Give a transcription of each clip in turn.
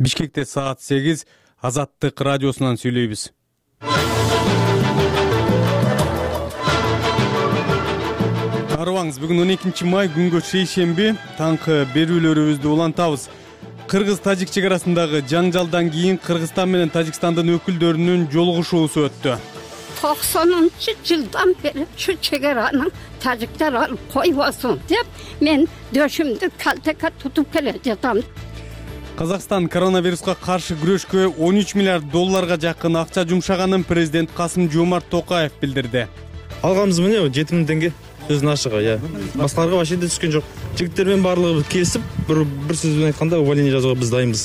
Бишкекте саат 8 Азаттык радиосунан сүйлөйбүз. Арыбаңыз, бүгүн 12 май күнгө шейшемби, таңкы берүүлөрүбүздү улантабыз. Кыргыз-Тажик чек арасындагы жаңжалдан кийин Кыргызстан менен Тажикстандын өкүлдөрүнүн жолугушуусу өттү. 90-жылдан бери şu чегаранын тажиктер алып койбосун деп мен дөшүмдү калтека тутуп келе жатам. Казакстан коронавируска каршы күрөшкө 13 миллиард долларга жакын акча жумшаганын президент Касым-Жомарт Токаев билдирди. Алганыбыз мына 7 миң теңге сөзүн ашыгы, башкаларга вообще түшкөн жок. Жигиттер менен баардыгы келип, бир сөз менен айтканда увольнение жазууга биз дайынбыз.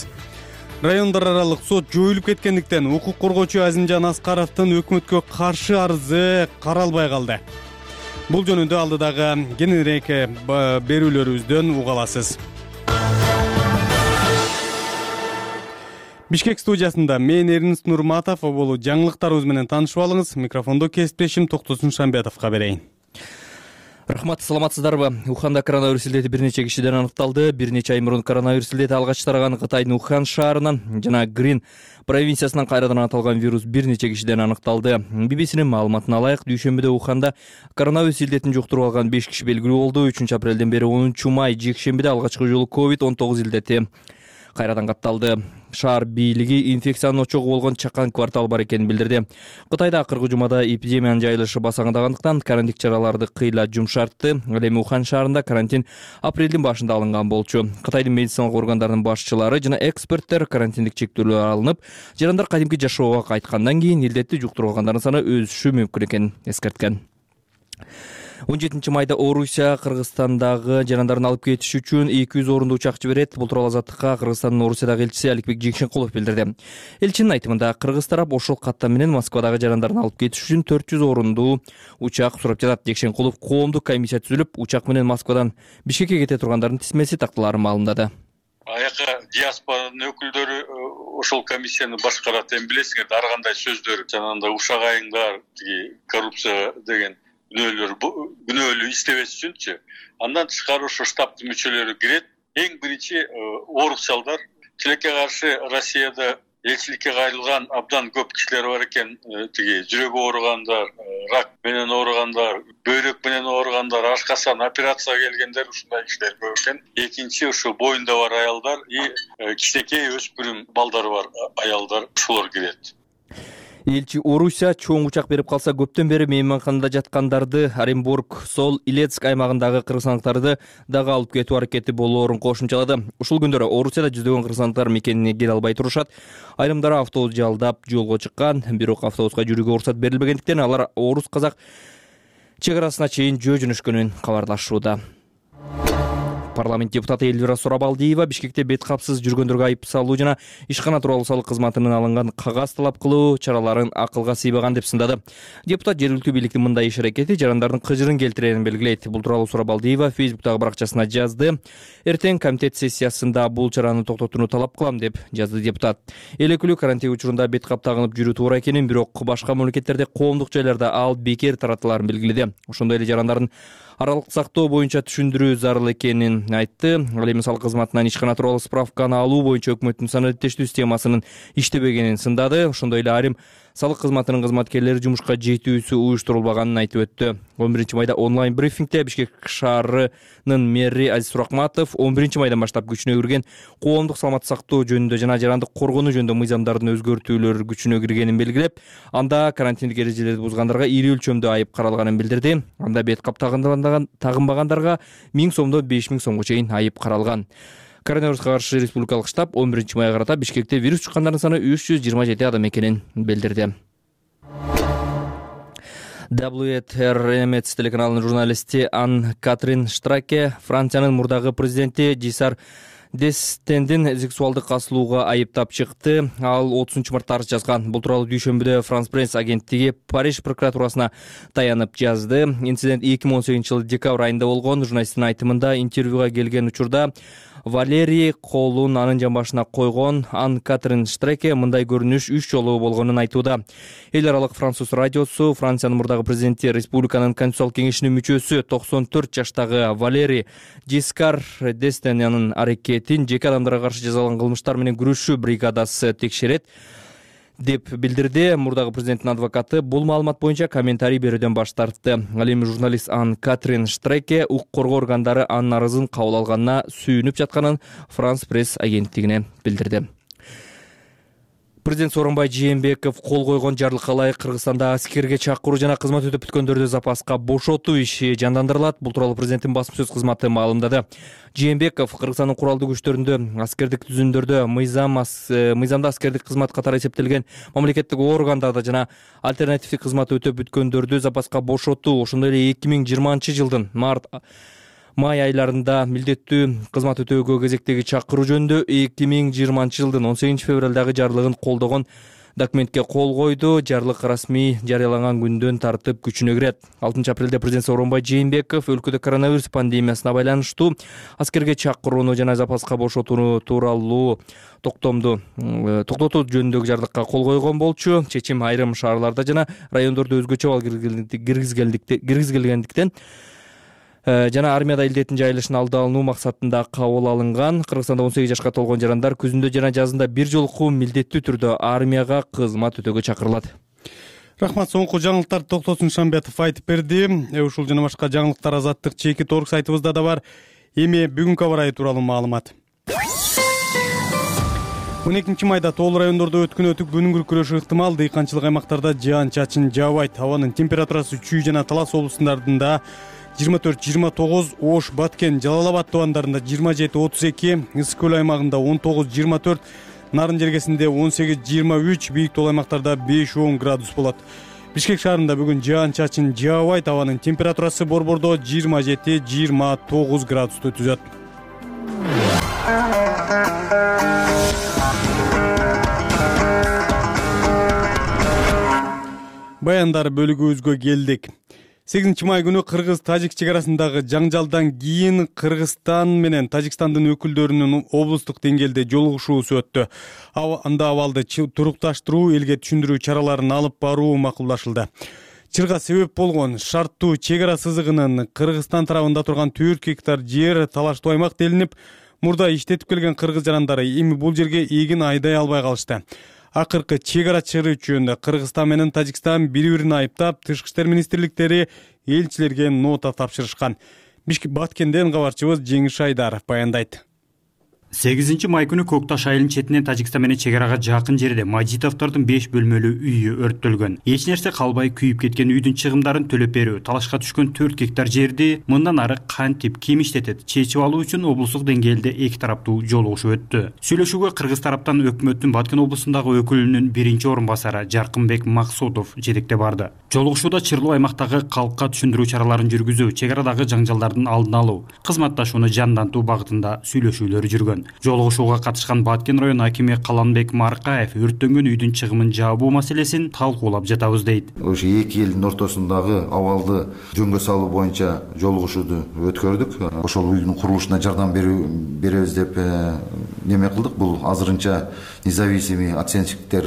Райондар аралык сот жоюлуп кеткендиктен укук коргоочу Азимжан Аскаровдун өкмөткө каршы арызы каралбай калды. Бул жөнүндө алдыдагы кененирээк берүүлөрүбүздөн уга аласыз. Бишкек студиясында мен Эрнст Нурматов, болу жаңылыктарыбыз менен таанышып алыңыз. Микрофондо кесиптешим Токтосун Шамбетовго берейин. Рахмат, саламатсыздарбы? Уханда коронавирус илдети бир нече кишиден аныкталды. Бир нече ай мурун коронавирус илдети алгач тараган Кытайдын Ухан шаарынан жана Грин провинциясынан кайрадан аталган вирус бир нече кишиден аныкталды. BBC'нин маалыматына алайык, дүйшөмбүдө Уханда коронавирус илдетин жуктуруп алган 5 киши белгилүү болду. 3-апрелден бери 10 май жекшембиде алгачкы жолу COVID-19 илдети кайрадан катталды. Шаар бийлиги инфекциянын очогу болгон чакан квартал бар экенин билдирди. Кытайда акыркы жумада эпидемиянын жайылышы басаңдагандыктан карантин чараларды кыйла жумшартты. Ал эми Ухан шаарында карантин апрелдин башында алынган болчу. Кытайдын медициналык органдарынын башчылары жана эксперттер карантиндик чектөөлөр алынып, жарандар кадимки жашоого кайткандан кийин илдетти жуктургандардын саны өсүшү мүмкүн экенин эскерткен. 17 майда Орусия Кыргызстандагы жарандарын алып кетиш үчүн 200 орундуу учак жиберет. Бул тууралуу Азаттыкка Кыргызстандын Орусиядагы элчиси Аликбек Жекшенкулов билдирди. Элчинин айтымында, кыргыз тарап ошол каттам менен Москвадагы жарандарын алып кетиш үчүн 400 орундуу учак сурап жатат. Жекшенкулов коомдук комиссия түзүлүп, учак менен Москвадан Бишкекке кете тургандардын тизмеси такталарын маалымдады. Аяка диаспоранын өкүлдөрү ошол комиссияны башкарат. Эми билесиңер, ар кандай сөздөр жанагындай ушак айыңдар, коррупция деген күнөөлүү иштебес үчүнчү. Андан тышкары ошо штабтын мүчөлөрү кирет. Эң биринчи орусиялдар, тилекке каршы Россияда элчиликке кайрылган абдан көп кишилер бар экен. Жүрөгү ооругандар, рак менен ооругандар, бөйрөк менен ооругандар, ашкасан операцияга келгендер, ушундай кишилер көп экен. Экинчи ошо боюнда бар аялдар и кичинекей өспүрүм балдары бар аялдар, ушулар кирет. Элчи Орусия чоң учак берип калса, көптөн бери мейманканада жаткандарды, Оренбург, Сол, Илецк аймагындагы кыргызстандыктарды дагы алып кетүү аракети болоорун кошумчалады. Ушул күндөрү Орусияда жүздөгөн кыргызстандыктар мекенине келе албай турушат. Айрымдары автобус жалдап жолго чыккан, бирок автобуска жүрүүгө уруксат берилбегендиктен алар орус-казак чек арасына чейин жөнөшкөнүн кабарлашууда. Парламент депутаты Эльвира Сурабалдиева Бишкекте бет капсыз жүргөндөргө айып салуу жана ишкана тууралуу салык кызматынан алынган кагаз талап кылуу чараларын акылга сыйбаган деп сындады. Депутат жергиликтүү бийликтин мындай иш аракети жарандардын кыжырын келтирерин белгилейт. Бул тууралуу Сурабалдиева Фейсбуктагы баракчасына жазды. Эртең комитет сессиясында бул чараны токтотууну талап кылам деп жазды депутат. Эл өкүлү карантин учурунда бет кап тагынып жүрүү туура экенин, бирок башка мамлекеттерде коомдук жайларда ал бекер таратыларын белгиледи. Ошондой эле жарандардын аралык сактоо боюнча түшүндүрүү зарыл экенин айтты. Ал эми салык кызматынан ишкана тууралуу справканы алуу боюнча өкмөттүн санариптештүү системасынын иштебегенин сындады. Ошондой эле айрым салык кызматынын кызматкерлери жумушка жетүүсү уюштурулбаганын айтып өттү. 11 майда онлайн брифингде Бишкек шаарынын мэри Азиз Суракматов 11 майдан баштап күчүнө кирген коомдук саламаттык сактоо жөнүндө жана жарандык коргонуу жөнүндө мыйзамдардын өзгөртүүлөр күчүнө киргенин белгилеп, анда карантиндик эрежелерди бузгандарга ири өлчөмдө айып каралганын билдирди. Анда бет кап тагынбагандарга 1000 сомдон 5000 сомго чейин айып каралган. Коронавируска каршы республикалык штаб 11 майга карата Бишкекте вирус чыккандардын саны 327 адам экенин билдирди. WTR телеканалынын журналисти Ан-Катрин Штраке Франциянын мурдагы президенти Жисар Дестендин сексуалдык касылууга айыптап чыкты. Ал 30 мартта арыз жазган. Бул тууралуу дүйшөмбүдө France Press агенттиги Париж прокуратурасына таянып жазды. Инцидент 2018 жылы декабрь айында болгон. Журналисттин айтымында, интервьюга келген учурда Валерий колун анын жамбашына койгон. Ан-Катрин Штраке мындай көрүнүш 3 жолу болгонун айтууда. Эл аралык француз радиосу Франциянын мурдагы президенти, республиканын конституциялык кеңешинин мүчөсү 94 жаштагы Валерий Жискар Дестенянын аракети аракетин жеке адамдарга каршы жасалган кылмыштар менен күрөшүү бригадасы текшерет деп билдирди. Мурдагы президенттин адвокаты бул маалымат боюнча комментарий берүүдөн баш тартты. Ал эми журналист Ан Катрин Штреке укук коргоо органдары анын арызын кабыл алганына сүйүнүп жатканын Франс пресс агенттигине билдирди. Президент Сооронбай Жээнбеков кол койгон жарлыкка ылайык Кыргызстанда аскерге чакыруу жана кызмат өтөп бүткөндөрдү запаска бошотуу иши жандандырылат. Бул тууралуу президенттин басма сөз кызматы маалымдады. Жээнбеков Кыргызстандын куралдуу күчтөрүндө аскердик түзүмдөрдө мыйзамда аскердик кызмат катары эсептелген мамлекеттик органдарда жана альтернативдик кызмат өтөп бүткөндөрдү запаска бошотуу, ошондой эле 2020 жылдын май айларында милдеттүү кызмат өтөөгө кезектеги чакыруу жөнүндө 2020 жылдын 18 февралдагы жарлыгын колдогон документке кол койду. Жарлык расмий жарыяланган күндөн тартып күчүнө кирет. 6 апрелде президент Сооронбай Жээнбеков өлкөдө коронавирус пандемиясына байланыштуу аскерге чакырууну жана запаска бошотууну тууралуу токтотуу жөнүндөгү жарлыкка кол койгон болчу. Чечим айрым шаарларда жана райондордо өзгөчө балл киргизилгендиктен жана армияда илдеттин жайылышын алды алуу максатында кабыл алынган. Кыргызстанда 18 жашка толгон жарандар күзүндө жана жазында бир жолку милдеттүү түрдө армияга кызмат өтөөгө чакырылат. Рахмат. Соңку жаңылыктарды Токтосун Шамбетов айтып берди. Ушул жана башка жаңылыктар Азаттык чекит орг сайтыбызда да бар. Эми бүгүнкү аба ырайы тууралуу маалымат. 12 майда тоолуу райондордо өткөн күнүнгү күрөшү ыктымал. Дыйканчылык аймактарда жаан-чачын жаабайт. Абанын температурасы Чүй жана Талас облустундарында 24-29, Ош, Баткен, Жалал Абад тубандарында 27-32, Ысык көл аймагында 19-24, Нарын жергесинде 18-23, бийик тоол аймактарда 5-10 градус болот. Бишкек шаарында бүгүн жаан-чачын жаабайт. Абанын температурасы борбордо 27-29 градусту түзөт. Баяндар бөлүгүбүзгө келдик. 8 май күнү Кыргыз-Тажик чек арасындагы жаңжалдан кийин Кыргызстан менен Тажикстандын өкүлдөрүнүн облустук деңгээлде жолугушуусу өттү. Анда абалды турукташтыруу, элге түшүндүрүү чараларын алып баруу макулдашылды. Чырга себеп болгон шарттуу чек ара сызыгынын Кыргызстан тарабында турган 4 гектар жер талаштуу аймак делинип, мурда иштетип келген кыргыз жарандары эми бул жерге эгин айдай албай калышты. Акыркы чек ара чыгуу үчүн Кыргызстан менен Тажикстан бири-бирин айыптап, Тышкы иштер министрликтери элчилерге нота тапшырышкан. Баткенден кабарчыбыз Жеңиш Айдаров баяндайт. 8 май күнү Көкташ айылынын четинен Тажикстан менен чек арага жакын жерде Мажитовдордун 5 бөлмөлүү үйү өрттөлгөн. Эч нерсе калбай күйүп кеткен үйдүн чыгымдарын төлөп берүү, талашка түшкөн 4 гектар жерди мындан ары кантип ким иштетет чечип алуу үчүн облустук деңгээлде эки тараптуу жолугушуу өттү. Сүйлөшүүгө Кыргыз тараптан өкмөттүн Баткен облусундагы өкүлүнүн биринчи орун басары Жаркынбек Максудов жетекте барды. Жолугушууда чырлуу аймактагы калкка түшүндүрүү чараларын жүргүзүү, чек арадагы жаңжалдардын алдын алуу, кызматташууну жандантуу багытында сүйлөшүүлөр жүргөн. Жолугушууга катышкан Баткен район акими Каланбек Маркаев өрттөнгөн үйдүн чыгымын жаабуу маселесин талкуулап жатабыз дейт. Ошо эки элдин ортосундагы абалды жөнгө салуу боюнча жолугушууну өткөрдүк. Ошол үйдүн курулушуна жардам беребиз деп неме кылдык. Бул азырынча независимый оценщиктер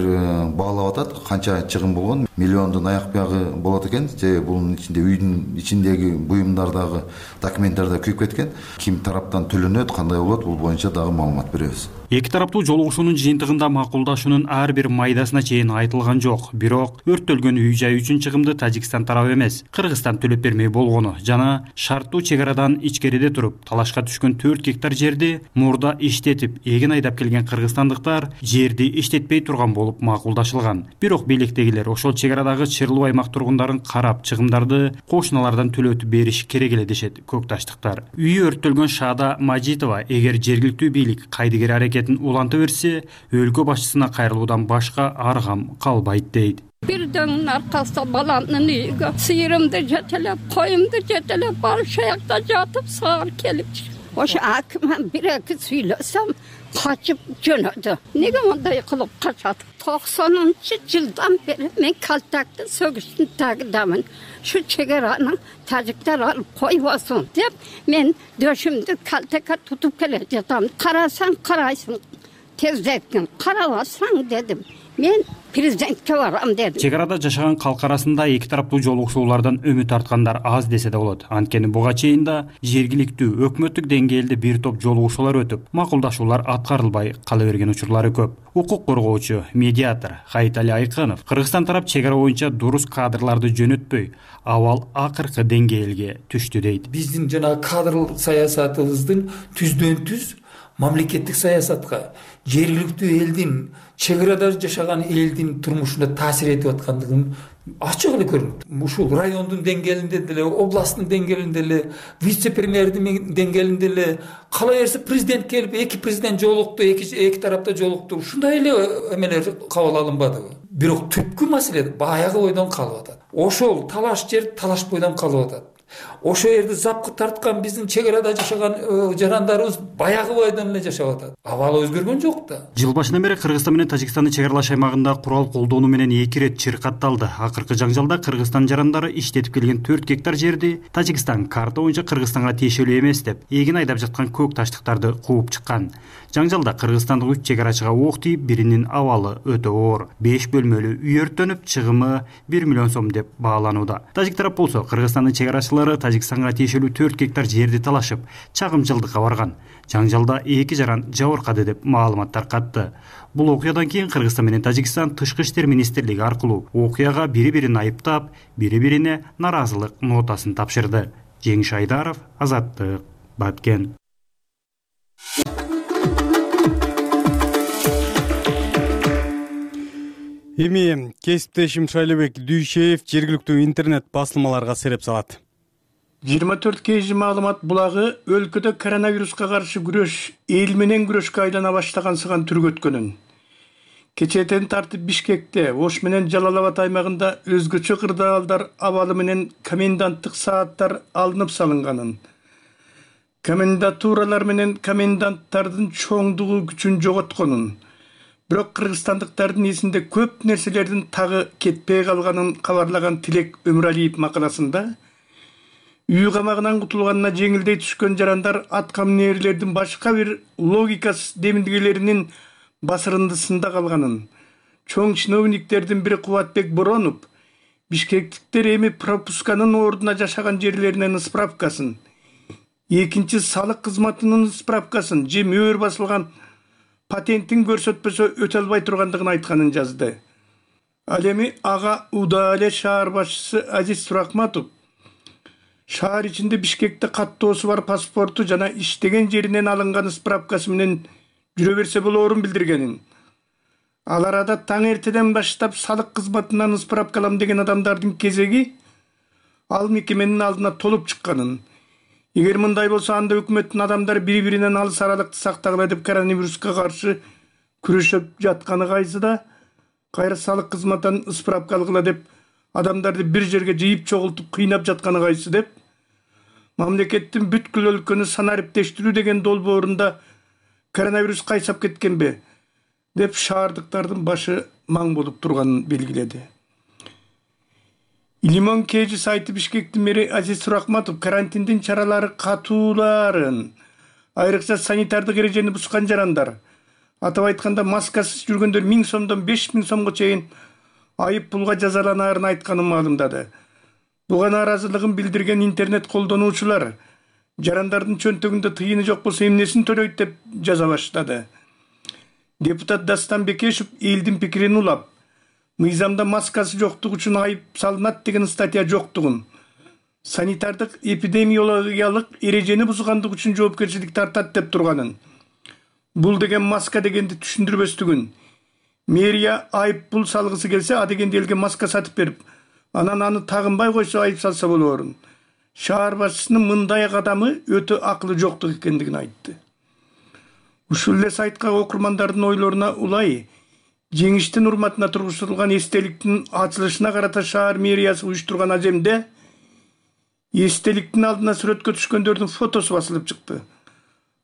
баалап атат. Канча чыгым болгон, миллиондун аяк бягы болот экен. Же бунун ичинде үйдүн ичиндеги буюмдардагы документтер күйүп кеткен. Ким тараптан төлөнөт, кандай болот, бул боюнча дагы маалымат беребиз. Эки тараптуу жолугушуунун жыйынтыгында макулдашуунун ар бир майдасына чейин айтылган жок. Бирок өрттөлгөн үй жай үчүн чыгымды Тажикстан тарабы эмес, Кыргызстан төлөп бермей болгону жана шарттуу чек арадан ичкериде туруп талашка түшкөн 4 гектар жерди мурда иштетип, эгин айдап келген кыргызстандыктар жерди иштетпей турган болуп макулдашылган. Бирок бийликтегилер ошол чек арадагы чырлуу аймак тургундарын карап, чыгымдарды кошуналардан төлөтүп бериш керек эле дешет көкташтыктар. Үйү өрттөлгөн Шаада Мажитова эгер жергиликтүү бийлик кайдыгер аракетин уланта берсе, өлкө башчысына кайрылуудан башка аргам калбайт дейт. Бирден аркасында баламдын үйүгө сыйырымды жетелеп, коюмду жетелеп, баршаякта жатып саар келип. Ошо аким бир-эки сүйлөсөм, качып жөнөдү. Неге мындай кылып качат? 90-жылдан бери мен калтакты сөгүштүн тагындамын. Şu чек аранын тажиктер алып койбосун деп мен дөшүмдү калтакка тутуп келе жатам. Карасаң карайсың, тездеткен. Карабасаң дедим. мен президентке барам дедим. чек арада жашаган калк арасында эки тараптуу жолугушуулардан үмүт арткандар аз десе да болот. Анткени буга чейин да жергиликтүү өкмөттүк деңгээлде бир топ жолугушуулар өтүп, макулдашуулар аткарылбай кала берген учурлары көп. Укук коргоочу, медиатор Хайытали Айкынов Кыргызстан тарап чек ара боюнча дурус кадрларды жөнөтпөй, абал акыркы деңгээлге түштү дейт. Биздин жана кадр саясатыбыздын түздөн түз мамлекеттик саясатка, жергиликтүү элдин, чек арада жашаган элдин турмушуна таасир этип аткандыгын ачык эле көрүнөт. Ушул райондун деңгээлинде деле, областтын деңгээлинде деле, вице-премьердин деңгээлинде деле кала берсе президент келип, эки президент жолукту, эки тарапта жолукту. Ушундай эле эмелер кабыл алынбадыбы? Бирок түпкү маселе баягы бойдон калып атат. Ошол талаш жер талаш бойдон калып атат. Ошол жерди запкы тарткан биздин чек арада жашаган жарандарыбыз баягы бойдон эле жашап атат. Абал өзгөргөн жок да. Жыл башынан бери Кыргызстан менен Тажикстандын чек аралаш аймагында курал колдонуу менен эки ирет чыркатталды. Акыркы жаңжалда Кыргызстан жарандары иштетип келген 4 гектар жерди Тажикстан карта боюнча Кыргызстанга тиешелүү эмес деп, эгин айдап жаткан көк таштыктарды кууп чыккан. Жаңжалда кыргызстандык 3 чек арачыга ок тийип, биринин абалы өтө оор. 5 бөлмөлүү үй өрттөнүп, чыгымы 1 миллион сом деп бааланууда. Тажик тарап болсо Кыргызстандын чек арачылары Тажикстанга тиешелүү 4 гектар жерди талашып, чагымчылдыкка барган. Жаңжалда 2 жаран жабыркады деп маалымат таркатты. Бул окуядан кийин Кыргызстан менен Тажикстан Тышкы иштер министрлиги аркылуу окуяга бири-бирин айыптап, бири-бирине наразылык нотасын тапшырды. Жеңиш Айдаров, Азаттык, Баткен. Эми кесиптешим Шайлебек Дүйшеев жергиликтүү интернет басылмаларга сереп салат. 24 kg маалымат булагы өлкөдө коронавируска каршы күрөш эл менен күрөшкө айлана баштагансыган түргөткөнүн. Кечээден тартып Бишкекте, Ош менен Жалал-Абад аймагында өзгөчө кырдаалдар абалы менен коменданттык сааттар алынып салынганын. Комендатуралар менен коменданттардын чоңдугу күчүн жоготконун. Бирок кыргызстандыктардын эсинде көп нерселердин тагы кетпей калганын кабарлаган Тилек Өмүралиев макаласында үй камагынан кутулганына жеңилдей түшкөн жарандар аткаминерлердин башка бир логикасыз демилгелеринин басырындысында калганын, чоң чиновниктердин бири Кубатбек Боронов бишкектиктер эми пропусканын ордуна жашаган жерлеринен справкасын, экинчи салык кызматынын справкасын же мөөр басылган патентин көрсөтпөсө өтө албай тургандыгын айтканын жазды. Ал эми ага Удале шаар башчысы Азиз Суракматов шаар ичинде Бишкекте каттоосу бар паспорту жана иштеген жеринен алынган справкасы менен жүрө берсе болоорун билдиргенин. Ал арада таң эртеден баштап салык кызматынан справкалам деген адамдардын кезеги ал мекеменин алдына толуп чыкканын. Эгер мындай болсо анда өкмөттүн адамдары бири-биринен алыс аралыкты сактагыла деп коронавируска каршы күрөшүп жатканы кайсыда, кайра салык кызматынан справка алгыла деп адамдарды бир жерге жыйып чогултуп кыйнап жатканы кайсы деп, мамлекеттин бүткүл өлкөнү санариптештирүү деген долбоорунда коронавирус кайсап кеткенби деп шаардыктардын башы маң болуп турганын белгиледи. Лимон Кежи сайты Бишкектин мэри Азиз Суракматов карантиндин чаралары катууларын, айрыкча санитардык эрежени бускан жарандар, атап айтканда маскасыз жүргөндөр 1000 сомдон 5000 сомго чейин айып пулга жазаланаарын айтканын маалымдады. Буга нааразылыгын билдирген интернет колдонуучулар жарандардын чөнтөгүндө тыйыны жок болсо эмнесин төлөйт деп жаза баштады. Депутат Дастан Бекешев элдин пикирин улап, мыйзамда маскасы жоктугу үчүн айып салынат деген статья жоктугун, санитардык эпидемиологиялык эрежени бузгандык үчүн жоопкерчилик тартат деп турганын, бул деген маска дегенди түшүндүрбөстүгүн, мэрия айып пул салгысы келсе а дегенди элге маска сатып берип, анан аны тагынбай койсо айып салса болоорун. Шаар башчысынын мындай кадамы өтө акылы жоктук экендигин айтты. Ушул эле сайтка окурмандардын ойлоруна улай жеңиштин урматына тургузулган эстеликтин ачылышына карата шаар мэриясы уюштурган ажемде эстеликтин алдына сүрөткө түшкөндөрдүн фотосу басылып чыкты.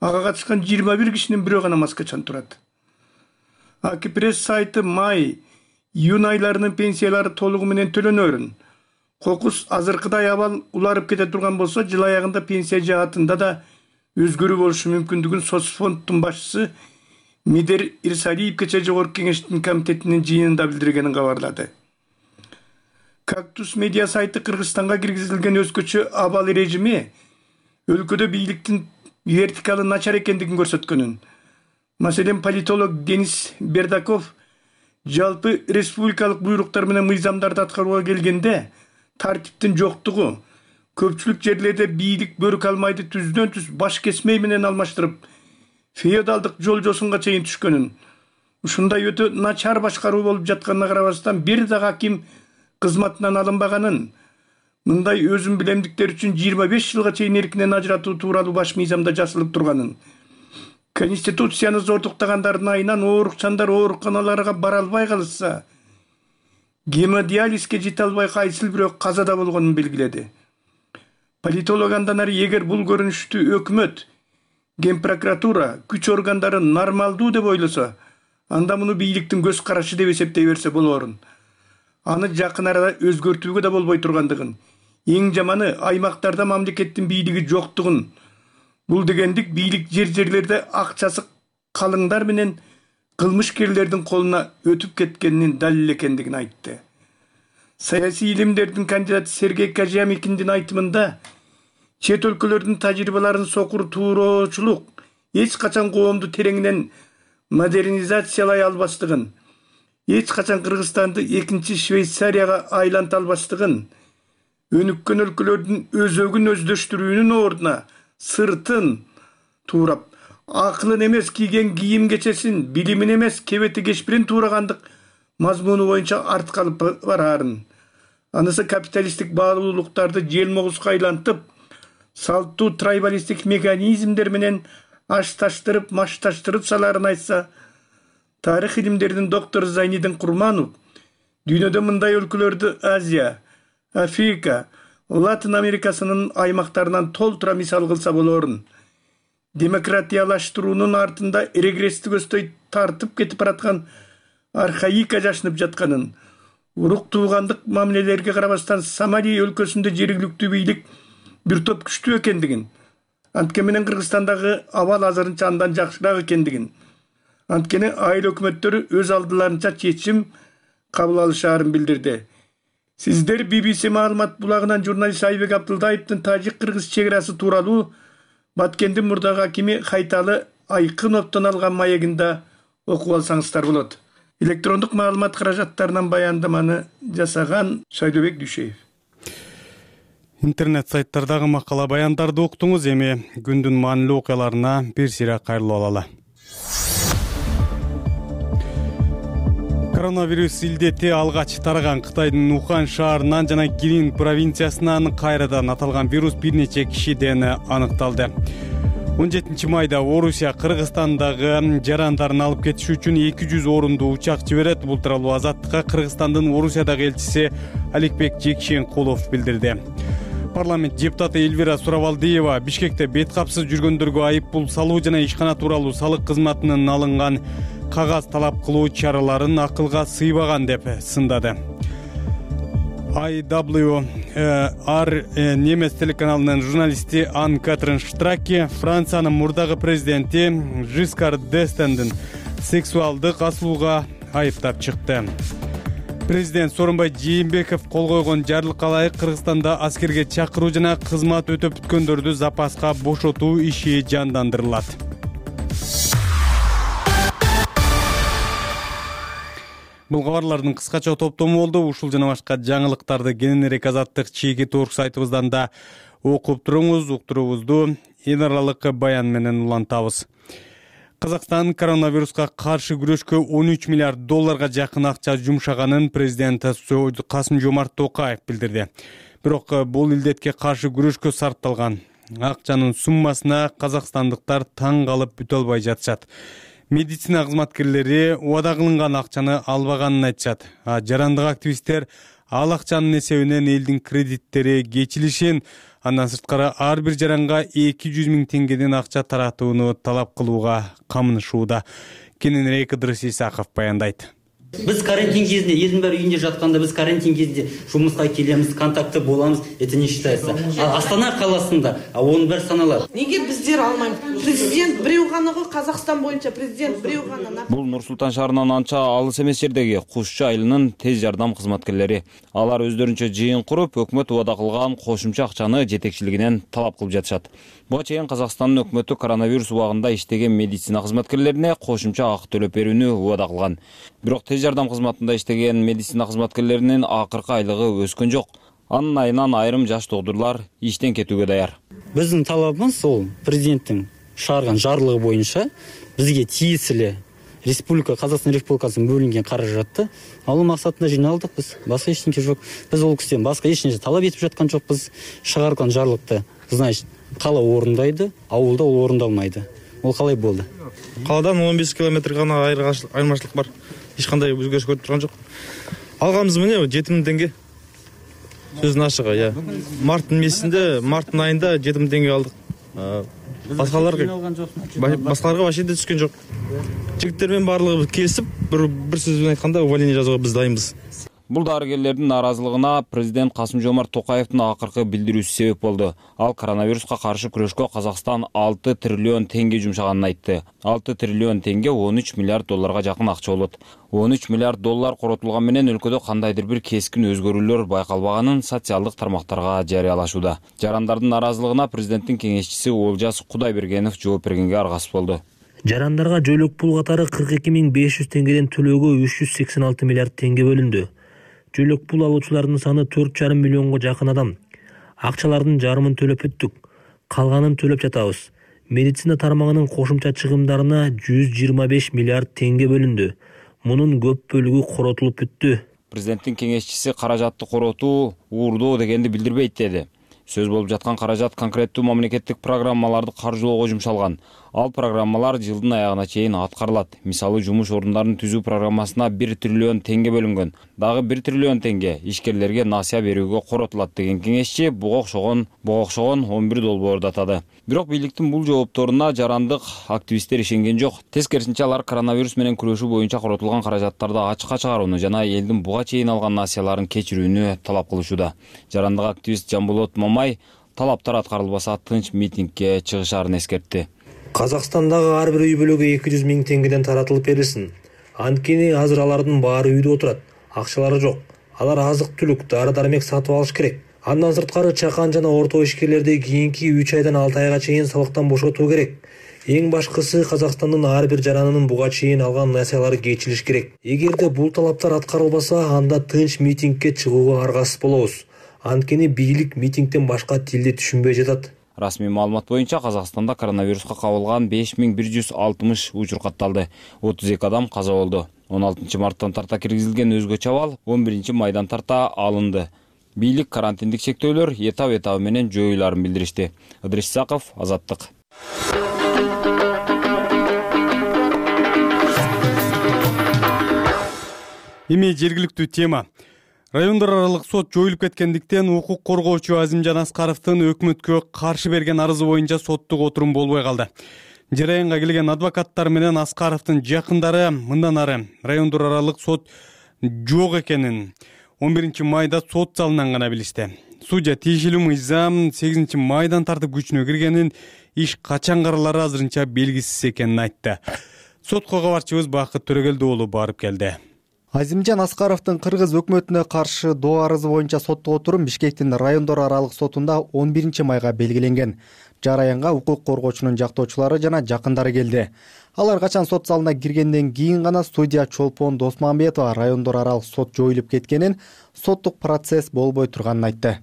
Ага катышкан 21 кишинин бирөө гана маскачан турат. Акипресс сайты май-июнь айларынын пенсиялары толугу менен төлөнөрүн, кокус азыркыдай абал уларып кете турган болсо, жыл аягында пенсия жаатында да өзгөрүү болушу мүмкүндүгүн соцфонддун башчысы Мидер Ирсалиев кечээ Жогорку Кеңештин комитетинин жыйынында билдиргенин кабарлады. Кактус медиа сайты Кыргызстанга киргизилген өзгөчө абал режими өлкөдө бийликтин вертикалы начар экендигин көрсөткөнүн. Маселен, политолог Денис Бердаков жалпы республикалык буйруктар менен мыйзамдарды аткарууга келгенде тартиптин жоктугу, көпчүлүк жерлерде бийлик бөрүк алмайды түздөн-түз баш кесмей менен алмаштырып, феодалдык жол жосунга чейин түшкөнүн. Ушундай өтө начар башкаруу болуп жатканына карабастан бир да аким кызматынан алынбаганын, мындай өзүн билемдиктер үчүн 25 жылга чейин эркинен ажыратуу тууралуу баш мыйзамда жазылып турганын, Конституцияны зордуктагандардын айынан оорукчандар ооруканаларга бара албай калышса, гемодиализге жете албай кайсыл бирөө казада болгонун белгиледи. Политолог андан ары эгер бул көрүнүштү өкмөт, Ген прокуратура, күч органдары нормалдуу деп ойлосо, анда муну бийликтин көз карашы деп эсептей берсе болоорун. Аны жакын арада өзгөртүүгө да болбой тургандыгын, эң жаманы аймактарда мамлекеттин бийлиги жоктугун, бул дегендик бийлик жерлерде акчасы калыңдар менен кылмышкерлердин колуна өтүп кеткенинин далил экендигин айтты. Саясий илимдердин кандидаты Сергей Кожамикиндин айтымында чет өлкөлөрдүн тажрыйбаларын сокур туурочулук эч качан коомду тереңинен модернизациялай албастыгын, эч качан Кыргызстанды экинчи Швейцарияга айланта албастыгын, өнүккөн өлкөлөрдүн өзөгүн өздөштүрүүнүн ордуна сыртын туурап, акылын эмес кийген кийим кечесин, билимин эмес кебети кешпирин туурагандык мазмуну боюнча артка алып бараарын. Анысы капиталисттик баалуулуктарды желмогузга айлантып, салттуу трайбалисттик механизмдер менен ашташтырып, машташтырып саларын айтса, тарых илимдеринин доктору Зайнидин Курманов дүйнөдө мындай өлкөлөрдү Азия, Африка, Латин Америкасынын аймактарынан толтура мисал кылса болоорун. Демократиялаштыруунун артында регресстик өстөй тартып кетип бараткан архаика жашынып жатканын, урук туугандык мамилелерге карабастан Сомали өлкөсүндө жергиликтүү бийлик бир топ күчтүү экендигин, анткени менен Кыргызстандагы абал азырынча андан жакшыраак экендигин, анткени айыл өкмөттөрү өз алдыларынча чечим кабыл алышаарын билдирди. Сиздер BBC маалымат булагынан журналист Айбек Абдылдаевдин тажик-кыргыз чек арасы тууралуу Баткендин мурдагы акими Хайталы Айкыновдон алган маегинде окуп алсаңыздар болот. Электрондук маалымат каражаттарынан баяндаманы жасаган Шайдыбек Дүйшеев. Интернет сайттардагы макала баяндарды уктуңуз. Эми күндүн маанилүү окуяларына бир сыйра кайрылып алалы. Коронавирус илдети алгач тараган Кытайдын Ухань шаарынан жана Гирин провинциясынан кайрадан аталган вирус бир нече кишиден аныкталды. 17 майда Орусия Кыргызстандагы жарандарын алып кетиш үчүн 200 орундуу учак жиберет. Бул тууралуу Азаттыкка Кыргызстандын Орусиядагы элчиси Аликбек Жекшенкулов билдирди. Парламент депутаты Эльвира Суравалдиева Бишкекте бет капсыз жүргөндөргө айып пул салуу жана ишкана тууралуу салык кызматынын алынган кагаз талап кылуу чараларын акылга сыйбаган деп сындады. IWR немес телеканалынын журналисти Ан-Катрин Штраке Франциянын мурдагы президенти Жискар Дестендин сексуалдык асылууга айыптап чыкты. Президент Сооронбай Жээнбеков кол койгон жарлыкка ылайык Кыргызстанда аскерге чакыруу жана кызмат өтөп бүткөндөрдү запаска бошотуу иши жандандырылат. Бул кабарлардын кыскача топтому болду. Ушул жана башка жаңылыктарды кененирээк Азаттык чеги торк сайтыбыздан да окуп туруңуз. Уктуруубузду эл аралык баян менен улантабыз. Казакстан коронавируска каршы күрөшкө 13 миллиард долларга жакын акча жумшаганын президент Касым-Жомарт Токаев билдирди. Бирок бул илдетке каршы күрөшкө сарпталган акчанын суммасына казакстандыктар таң калып бүтө албай жатышат. Медицина кызматкерлери убада кылынган акчаны албаганын айтышат. Жарандык активисттер ал акчанын эсебинен элдин кредиттери кечилишин, андан сырткары ар бир жаранга 200 000 теңгеден акча таратууну талап кылууга камынышууда. Кененирээк Ыдырыс Исаков баяндайт. Биз карантин кезинде элдин баары үйүндө жатканда биз карантин кезинде жумушка келемиз, контактты боламыз. Это не считается. Астана каласында onun баары саналат. Неге биздер алмайбыз? Президент бирөө гана го, Казакстан боюнча президент бирөө гана. Бул Нур-Султан шаарынан анча алыс эмес жердеги Кушчу айылынын тез жардам кызматкерлери. Алар өздөрүнчө жыйын куруп, өкмөт убада кылган кошумча акчаны жетекчилигинен талап кылып жатышат. Буга чейин Казакстандын өкмөтү коронавирус убагында иштеген медицина кызматкерлерине кошумча акы төлөп берүүнү убада кылган. Бирок тез жардам кызматында иштеген медицина кызматкерлеринин акыркы айлыгы өскөн жок. Анын айынан айрым жаш доктурлар иштен кетүүгө даяр. Биздин талабыбыз сол президенттин чыгарган жарлыгы боюнча бизге тиесилүү Республика Казакстан Республикасынын бөлүнгөн каражатты алуу максатында жыйналдык биз. Башка эч нерсе жок. Биз ол кишиден башка эч нерсе талап этип жаткан жокпуз. Чыгарган жарлыкты, значит, кала орундайды, ауылда ол орундалмайды. Ол калай болду? Каладан 15 километр гана айырмачылык бар. Эч кандай өзгөрүш көрүп турган жок. Алганыбыз мына 7000 теңге. Сөздүн ачыгы, марттын месинде, марттын айында 7000 теңге алдык. Башкаларга вообще түскөн жок. Жигиттер менен баардыгы келип, бир сөз менен айтканда увольнение жазууга биз дайынбыз. Бул дарыгерлердин наразылыгына президент Касым-Жомарт Токаевдин акыркы билдирүүсү себеп болду. Ал коронавируска каршы күрөшкө Казакстан 6 триллион теңге жумшаганын айтты. 6 триллион теңге 13 миллиард долларга жакын акча болот. 13 миллиард доллар коротулган менен өлкөдө кандайдыр бир кескин өзгөрүүлөр байкалбаганын социалдык тармактарга жарыялашууда. Жарандардын наразылыгына президенттин кеңешчиси Олжас Кудайбергенов жооп бергенге аргасыз болду. Жарандарга жойлук пул катары 42.500 теңгеден төлөөгө 386 миллиард теңге бөлүндү. Жойлук пул алуучулардын саны 4,5 миллионго жакын адам. Акчалардын жарымын төлөп бүттүк. Калганын төлөп жатабыз. Медицина тармагынын кошумча чыгымдарына 125 миллиард теңге бөлүндү. Мунун көп бөлүгү коротулуп бүттү. Президенттин кеңешчиси каражатты коротуу уурдоо дегенди билдирбейт деди. Сөз болуп жаткан каражат конкреттүү мамлекеттик программаларды каржылоого жумшалган. Ал программалар жылдын аягына чейин аткарылат. Мисалы, жумуш орундарын түзүү программасына 1 триллион теңге бөлүнгөн. Дагы 1 триллион теңге ишкерлерге насыя берүүгө коротулат деген кеңешчи буга окшогон 11 долбоорду атады. Бирок бийликтин бул жоопторуна жарандык активисттер ишенген жок. Тескерисинче алар коронавирус менен күрөшүү боюнча коротулган каражаттарды ачыкка чыгарууну жана элдин буга чейин алган насыяларын кечирүүнү талап кылышууда. Жарандык активист Жамболот Мамай талаптар аткарылбаса тынч митингге чыгышаарын эскертти. Казакстандагы ар бир үй бүлөгө 200 миң теңгеден таратылып берилсин. Анткени азыр алардын баары үйдө отурат. Акчалары жок. Алар азык-түлүк, дары-дармек сатып алыш керек. Андан сырткары чакан жана орто ишкерлерди кийинки 3 айдан 6 айга чейин салыктан бошотуу керек. Эң башкысы Казакстандын ар бир жаранынын буга чейин алган насыялары кечилиш керек. Эгерде бул талаптар аткарылбаса, анда тынч митингге чыгууга аргасыз болобуз. Анткени бийлик митингден башка тилди түшүнбөй жатат. Расмий маалымат боюнча Казакстанда коронавируска кабылган 5160 учур катталды. 32 адам каза болду. 16 марттан тарта киргизилген өзгөчө абал 11 майдан тарта алынды. Бийлик карантиндик чектөөлөр этап менен жоюларын билдиришти. Ыдрис Саков, Азаттык. Эми жергиликтүү тема. Райондор аралык сот жоюлуп кеткендиктен укук коргоочу Азимжан Аскаровдун өкмөткө каршы берген арызы боюнча соттук отурум болбой калды. Жараянга келген адвокаттар менен Аскаровдун жакындары мындан ары райондор аралык сот жок экенин 11 майда сот залынан гана билишти. Судья тиешелүү мыйзам 8 майдан тартып күчүнө киргенин, иш качан каралары азырынча белгисиз экенин айтты. Сотко кабарчыбыз Бакыт Төрөгелди уулу барып келди. Азимжан Аскаровдун кыргыз өкмөтүнө каршы доо арызы боюнча соттук отурум Бишкектин райондор аралык сотунда 11 майга белгиленген. Жараянга укук коргоочунун жактоочулары жана жакындары келди. Алар качан сот залына киргенден кийин гана судья Чолпон Досмамбетова райондор аралык сот жоюлуп кеткенин, соттук процесс болбой турганын айтты.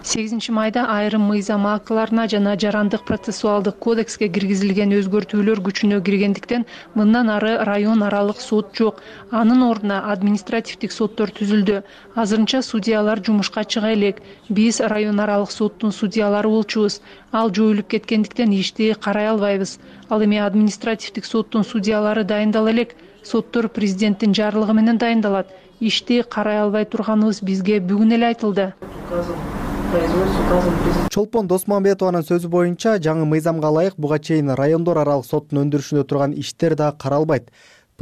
8 майда айрым мыйзам актыларына жана жарандык процессуалдык кодекске киргизилген өзгөртүүлөр күчүнө киргендиктен мындан ары район аралык сот жок. Анын ордуна административдик соттор түзүлдү. Азырынча судьялар жумушка чыга элек. Биз район аралык соттун судьялары болчубуз. Ал жоюлуп кеткендиктен ишти карай албайбыз. Ал эми административдик соттун судьялары дайындала элек. Соттор президенттин жарлыгы менен дайындалат. Ишти карай албай турганыбыз бизге бүгүн эле айтылды. Чолпон Досмамбетованын сөзү боюнча жаңы мыйзамга ылайык буга чейин райондор аралык соттун өндүрүшүндө турган иштер да каралбайт.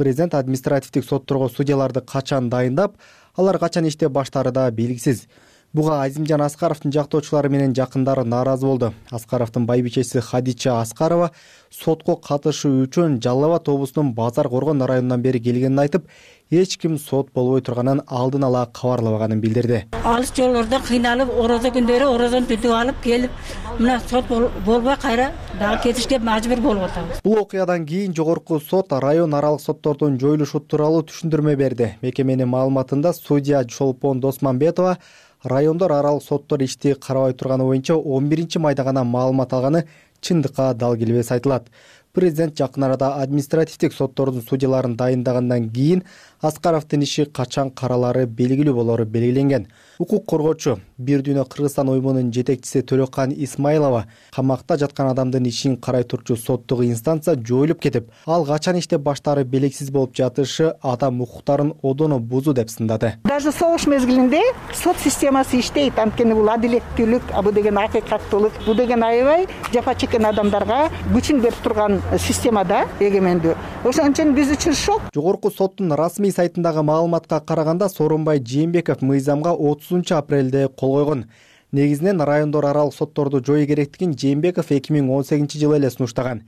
Президент административдик сотторго судьяларды качан дайындап, алар качан иштеп баштаары да белгисиз. Буга Азимжан Аскаровдун жактоочулары менен жакындары нааразы болду. Аскаровдун байбичеси Хадича Аскарова сотко катышуу үчүн Жалал Абад облусунун Базар Коргон районунан бери келгенин айтып, эч ким сот болбой турганын алдын ала кабарлабаганын билдирди. Алыс жолдордо кыйналып, орозо күндөрү орозон түтүп алып келип, мына сот болбой кайра дагы кетишке мажбур болуп атабыз. Бул окуядан кийин жогорку сот район аралык соттордун жоюлушу тууралуу түшүндүрмө берди. Мекеменин маалыматында судья Чолпон Досманбетова райондор аралык соттор ишти карабай турганы боюнча 11 майда гана маалымат алганы чындыкка дал келбес айтылат. Президент жакын арада административдик соттордун судьяларын дайындагандан кийин Аскаровдун иши качан каралары белгилүү болору белгиленген. Укук коргоочу Бир дүйнө Кыргызстан уюмунун жетекчиси Төлөкан Исмайлова камакта жаткан адамдын ишин карай турчу соттук инстанция жоюлуп кетип, ал качан иштеп баштаары белгисиз болуп жатышы адам укуктарын одоно бузуу деп сындады. Даже согуш мезгилинде сот системасы иштейт, анткени бул адилеттүүлүк, бул деген акыйкаттуулук, бул деген аябай жапа чеккен адамдарга күчүн берип турган системада эгемендүү. Ошон үчүн биз үчүн шок. Жогорку соттун расмий сайтындагы маалыматка караганда Сооронбай Жээнбеков мыйзамга 30 апрелде кол койгон. Негизинен райондор аралык сотторду жою керектигин Жээнбеков 2018-жылы эле сунуштаган.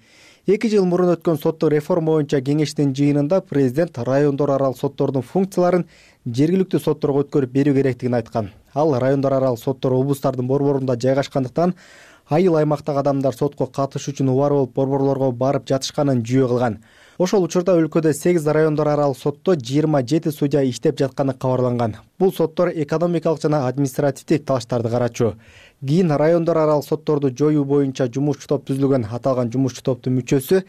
2 жыл мурун өткөн соттук реформа боюнча кеңештин жыйынында президент райондор аралык соттордун функцияларын жергиликтүү сотторго өткөрүп берүү керектигин айткан. Ал райондор аралык соттор облустардын борборунда жайгашкандыктан айыл аймактагы адамдар сотко катышуу үчүн убар болуп борборлорго барып жатышканын жүйө кылган. Ошол учурда өлкөдө 8 райондор аралык сотто 27 судья иштеп жатканы кабарланган. Бул соттор экономикалык жана административдик талаштарды карачу. Кийин райондор аралык сотторду жоюу боюнча жумушчу топ түзүлгөн. Аталган жумушчу топтун мүчөсү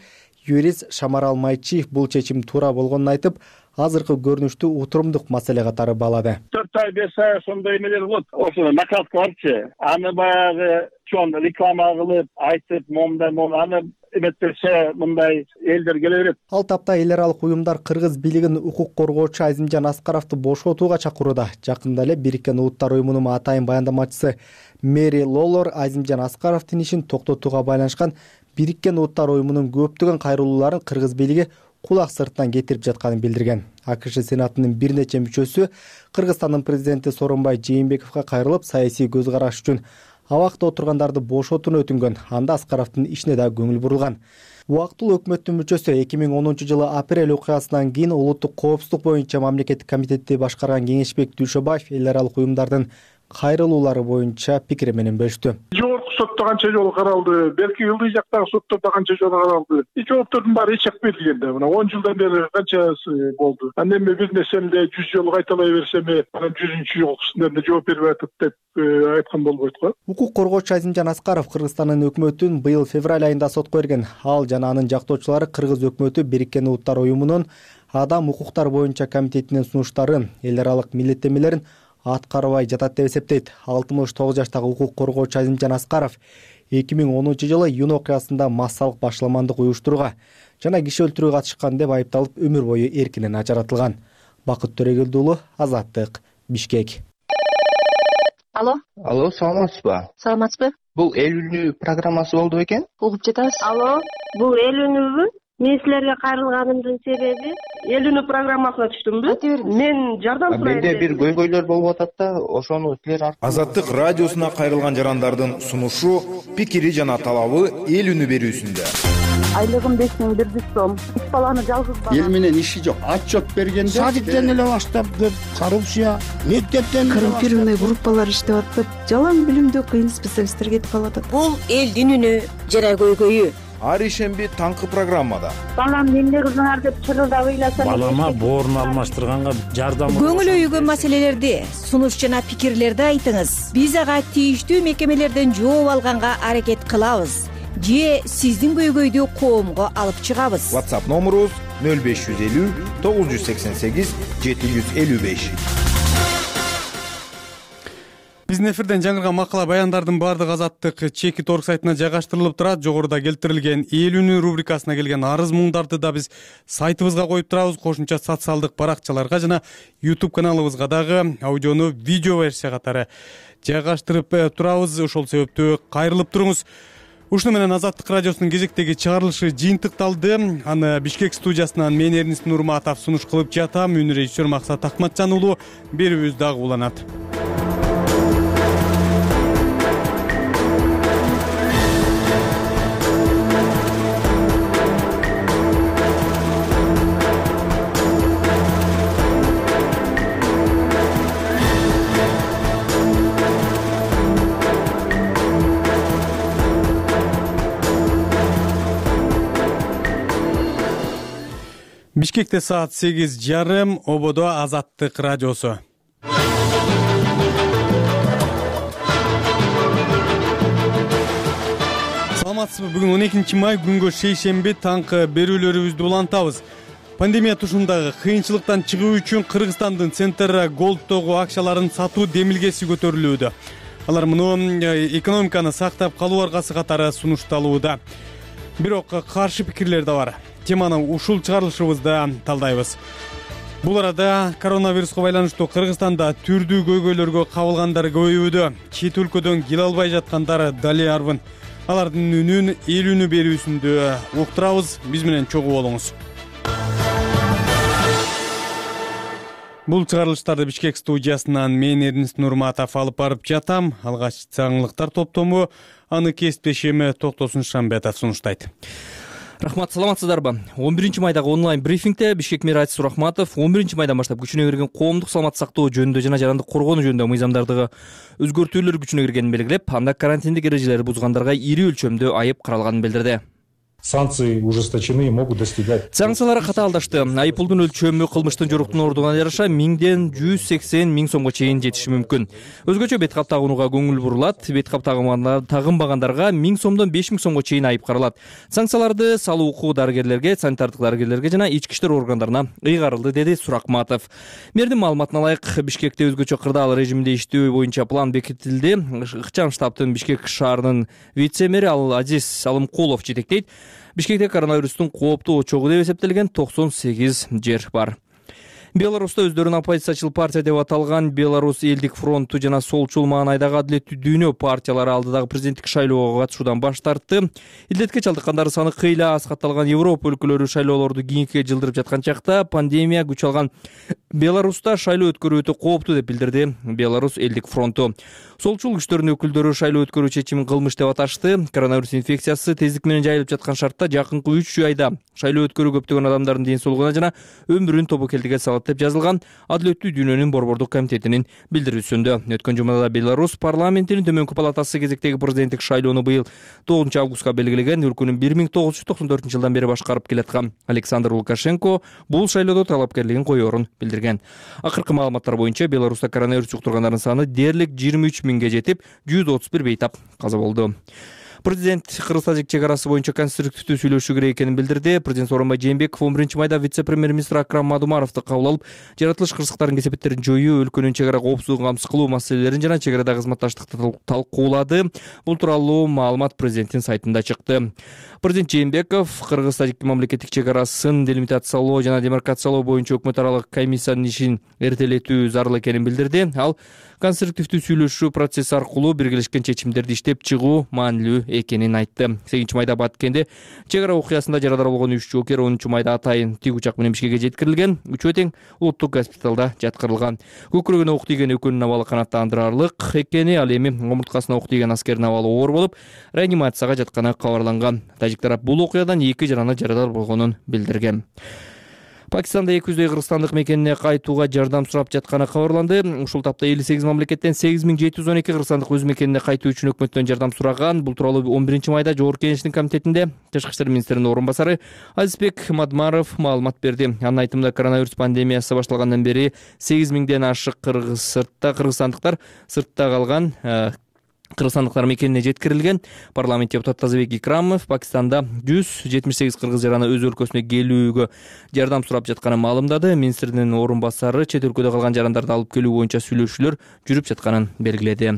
юрист Шамарал Майчиев бул чечим туура болгонун айтып, азыркы көрүнүштү утурумдук маселе катары баалады. 4 ай 5 ай ошондой эмелер болот. Ошо накалкаларчы аны баягы чоң реклама кылып, айтып, момундай аны эметпесе мындай элдер келе берет. Ал тапта эл аралык уюмдар кыргыз бийлигин укук коргоочу Азимжан Аскаровду бошотууга чакырууда. Жакында эле Бириккен Улуттар уюмунун атайын баяндамачысы Мэри Лолор Азимжан Аскаровдун ишин токтотууга байланышкан Бириккен Улуттар уюмунун көптөгөн кайрылууларын кыргыз бийлиги кулак сыртынан кетирип жатканын билдирген. АКШ Сенатынын бир нече мүчөсү Кыргызстандын президенти Сооронбай Жээнбековго кайрылып, саясий көз караш үчүн абакта отургандарды бошотууну өтүнгөн. Анда Аскаровдун ишине да көңүл бурулган. Убактылуу өкмөттүн мүчөсү 2010-жылы апрель окуясынан кийин улуттук коопсуздук боюнча мамлекеттик комитетти башкарган Кеңешбек Дүйшөбаев эл аралык уюмдардын кайрылуулары боюнча пикири менен бөлүштү. Жогорку сотто канча жолу каралды, белки ылдый жактагы соттордо канча жолу каралды. Жооптордун баары эч жак берилгенде, мына 10 жылдан бери канчасы болду. Андан эми бир нерсени 100 жолу кайталай берсем, анан 100-жолкусунда жооп берип атат деп айткан болбойт го. Укук коргоочу Азимжан Аскаров Кыргызстандын өкмөтүн быйыл февраль айында сотко берген. Ал жана анын жактоочулары Кыргыз өкмөтү Бириккен Улуттар уюмунун адам укуктар боюнча комитетинин сунуштарын, эл аралык милдеттенмелерин аткарбай жатат деп эсептейт. 69 жаштагы укук коргоочу Азимжан Аскаров 2010-жылы июнь окуясында массалык башаламандык уюштурууга жана киши өлтүрүүгө катышкан деп айыпталып өмүр бою эркинен ажыратылган. Бакыт Төрөгелди уулу, Азаттык, Бишкек. Алло, саламатсызбы? Саламатсызбы? Бул эл үнү программасы болду бекен? Угуп жатабыз. Алло, бул эл үнүбү? Мен силерге кайрылганымдын себеби эл үнү программасына түштүмбү? Мен жардам сурайм. Менде бир көйгөйлөр болуп атат да, ошону силер Азаттык радиосуна кайрылган жарандардын сунушу, пикири жана талабы эл үнү берүүсүндө. Айлыгым 5100 сом. 3 баланы жалгыз бала. Эл менен иши жок. Отчет бергенде садиктен эле баштап деп коррупция, мектептен коррумпированный группалар иштеп атып, жалаң билимдүү кыйын специалисттер кетип калат. Бул элдин үнү жана көйгөйү. Ар ишемби таңкы программада. Балам эмне кылдыңар деп чырылдап ыйласам. Балама боорун алмаштырганга жардам. Көңүл өйгөн маселелерди, сунуш жана пикирлерди айтыңыз. Биз ага тийиштүү мекемелерден жооп алганга аракет кылабыз. Же сиздин көйгөйдү коомго алып чыгабыз. WhatsApp номерубуз 0550 988 755. Биздин эфирден жаңырган макала баяндардын баардыгы Азаттык чекит орг сайтына жайгаштырылып турат. Жогоруда келтирилген эл үнү рубрикасына келген арыз муңдарды да биз сайтыбызга коюп турабыз. Кошумча социалдык баракчаларга жана YouTube каналыбызга дагы аудиону видео версия катары жайгаштырып турабыз. Ошол себептүү кайрылып туруңуз. Ушуну менен Азаттык радиосунун кезектеги чыгарылышы жыйынтыкталды. Аны Бишкек студиясынан мен Эрнис Нурматов сунуш кылып жатам. Үн режиссер Максат Акматжан уулу. Берүүбүз дагы уланат. Бишкекте саат 8:30, ободо Азаттык радиосу. Саламатсызбы? Бүгүн 12 май күнгө шейшемби таңкы берүүлөрүбүздү улантабыз. Пандемия тушундагы кыйынчылыктан чыгуу үчүн Кыргызстандын Центр Голдтогу акчаларын сатуу демилгеси көтөрүлүүдө. Алар муну экономиканы сактап калуу аргасы катары сунушталууда. Бирок каршы пикирлер да бар. Теманы ушул чыгарылышыбызда талдайбыз. Бул арада коронавируска байланыштуу Кыргызстанда түрдүү көйгөйлөргө кабылгандар көбөйүүдө. Чет өлкөдөн келе албай жаткандар дали арбын. Алардын үнүн эл үнү берүүсүндө уктурабыз. Биз менен чогуу болуңуз. Бул чыгарылыштарды Бишкек студиясынан мен Эрнис Нурматов алып барып жатам. Алгач жаңылыктар топтому аны кесиптешим Токтосун Шамбетов сунуштайт. Рахмат, саламатсыздарбы? 11 майдагы онлайн брифингде Бишкек мэрі Айтис Сурахматов 11 майдан баштап күчүнө кирген коомдук саламат сактоо жөнүндө жана жарандык коргонуу жөнүндө мыйзамдардагы өзгөртүүлөр күчүнө киргенин белгилеп, анда карантиндик эрежелерди бузгандарга ири өлчөмдө айып каралганын билдирди. Санкции ужесточены и могут достигать. Санкциялар катаалдашты. Айыппулдун өлчөмү кылмыштын жоруктун ордуна жараша 1000ден 180 000 сомго чейин жетиши мүмкүн. Өзгөчө бет кап тагынууга көңүл бурулат. Бет кап тагынбагандарга 1000 сомдон 5000 сомго чейин айып каралат. Санкцияларды салуу укугу дарыгерлерге, санитардык дарыгерлерге жана ички иштер органдарына ыйгарылды, деди Сурахматов. Мэрдин маалыматына ылайык, Бишкекте өзгөчө кырдаал режиминде иштөө боюнча план бекитилди. Ыкчам штабтын Бишкек шаарынын вице-мэри Азиз Алымкулов жетектейт. Бишкекте коронавирустун кооптуу очогу деп эсептелген 98 жер бар. Беларуста өздөрүн оппозициячыл партия деп аталган Беларусь элдик фронту жана Солчул маанайдагы Адилеттүү дүйнө партиялары алдыдагы президенттик шайлоого катышуудан баш тартты. Илдетке чалдыккандардын саны кыйла аз катталган Европа өлкөлөрү шайлоолорду кийинкиге жылдырып жаткан чакта пандемия күч алган Беларуста шайлоо өткөрүү өтө кооптуу деп билдирди Беларусь элдик фронту. Солчул күчтөрдүн өкүлдөрү шайлоо өткөрүү чечимин кылмыш деп аташты. Коронавирус инфекциясы тездик менен жайылып жаткан шартта жакынкы 3 айда шайлоо өткөрүү көптөгөн адамдардын ден соолугуна жана өмүрүн тобокелдикке салат деп жазылган Адилеттүү дүйнөнүн борбордук комитетинин билдирүүсүндө. Өткөн жумада Беларусь парламентинин төмөнкү палатасы кезектеги президенттик шайлоону быйыл 9 августка белгилеген. Өлкөнүн 1994 жылдан бери башкарып келаткан Александр Лукашенко бул шайлоодо талапкерлигин коёрун билдирген. Акыркы маалыматтар боюнча Беларуста коронавирус жуктургандардын саны дээрлик 23 000ге жетип, 131 бейтап каза болду. Президент Кыргыз-Тажик чек-арасы боюнча конструктивдүү сүйлөшүү керек экенин билдирди. Президент Сооронбай Жээнбеков 11 майда вице-премьер-министр Акрам Мадумаровду кабыл алып, жаратылыш кырсыктардын кесепеттерин жоюу, өлкөнүн чек-ара коопсуздугун камсыз кылуу маселелерин жана чек-арадагы кызматташтыкты талкуулады. Бул тууралуу маалымат президенттин сайтында чыкты. Президент Жээнбеков Кыргыз-Тажик мамлекеттик чек-арасын делимитациялоо жана демаркациялоо боюнча өкмөт аралык комиссиянын ишин эртелетүү зарыл экенин билдирди. Ал конструктивдүү сүйлөшүү процесси аркылуу биргелешкен чечимдерди иштеп чыгуу маанилүү экенин айтты. 8 майда Баткенде чек-ара окуясында жарадар болгон 3 жоокер 10 майда атайын тик учак менен Бишкекке жеткирилген. Үчөө тең улуттук госпиталда жаткырылган. Көкүрөгүнө ок тийген экөөнүн абалы канааттандырарлык экени, ал эми омурткасына ок тийген аскердин абалы оор болуп, реанимацияга жатканы кабарланган. Тажик тарап бул окуядан 2 жараны жарадар болгонун билдирген. Пакистанда 200 кыргызстандык мекенине кайтууга жардам сурап жатканы кабарланды. Ушул тапта 58 мамлекеттен 8712 кыргызстандык өз мекенине кайтуу үчүн өкмөттөн жардам сураган. Бул тууралуу 11 майда Жогорку Кеңештин комитетинде Тышкы иштер министринин орун басары Азизбек Мадмаров маалымат берди. Анын айтымында коронавирус пандемиясы башталгандан бери 8000ден ашык кыргызстандыктар сыртта калган кыргызстандыктар мекенине жеткирилген. Парламент депутаты Тазабек Икрамов Пакистанда 178 кыргыз жараны өз өлкөсүнө келүүгө жардам сурап жатканын маалымдады. Министрдин орун басары чет өлкөдө калган жарандарды алып келүү боюнча сүйлөшүүлөр жүрүп жатканын белгиледи.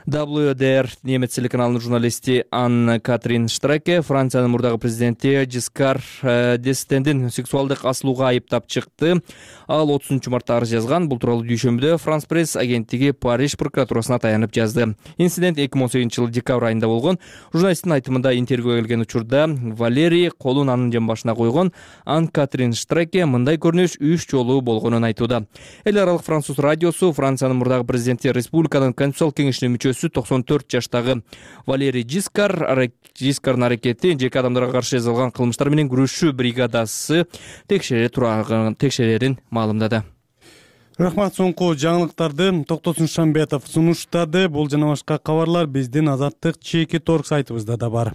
WDR немец телеканалынын журналисти Анна Катрин Штраке Франциянын мурдагы президенти Жискар д'Эстендин сексуалдык асылууга айыптап чыкты. Ал 30-мартта арыз жазган. Бул тууралуу дүйшөмбүдө Франс пресс агенттиги Париж прокуратурасына таянып жазды. Инцидент 2018-жылы декабрь айында болгон. Журналисттин айтымында интервьюга келген учурда Валерий колун анын жан башына койгон. Анна Катрин Штраке мындай көрүнүш 3 жолу болгонун айтууда. Эл аралык француз радиосу Франциянын мурдагы президенти республиканын конституциялык кеңешинин мүчөсү 94 жаштагы Валерий Жискардын аракети жеке адамдарга каршы жасалган кылмыштар менен күрөшүү бригадасы текшерерин маалымдады. Рахмат, соңку жаңылыктарды Токтосун Шамбетов сунуштады. Бул жана башка кабарлар биздин Азаттык чеки торг сайтыбызда да бар.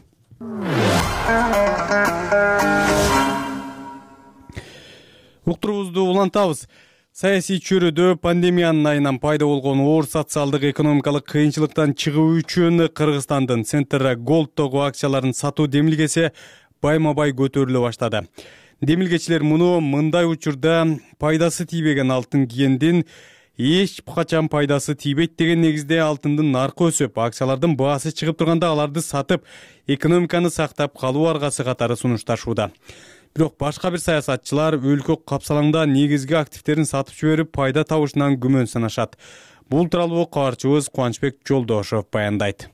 Уктуруубузду улантабыз. Саясий чөйрөдө пандемиянын айынан пайда болгон оор социалдык экономикалык кыйынчылыктан чыгуу үчүн Кыргызстандын Центр Голдтогу акцияларын сатуу демилгеси байма-бай көтөрүлө баштады. Демилгечилер муну мындай учурда пайдасы тийбеген алтын кийгендин эч качан пайдасы тийбейт деген негизде алтындын наркы өсүп, акциялардын баасы чыгып турганда аларды сатып, экономиканы сактап калуу аргасы катары сунушташууда. Бирок башка бир саясатчылар өлкө капсалаңда негизги активтерин сатып жиберип пайда табышынан күмөн санашат. Бул тууралуу кабарчыбыз Кубанычбек Жолдошов баяндайт.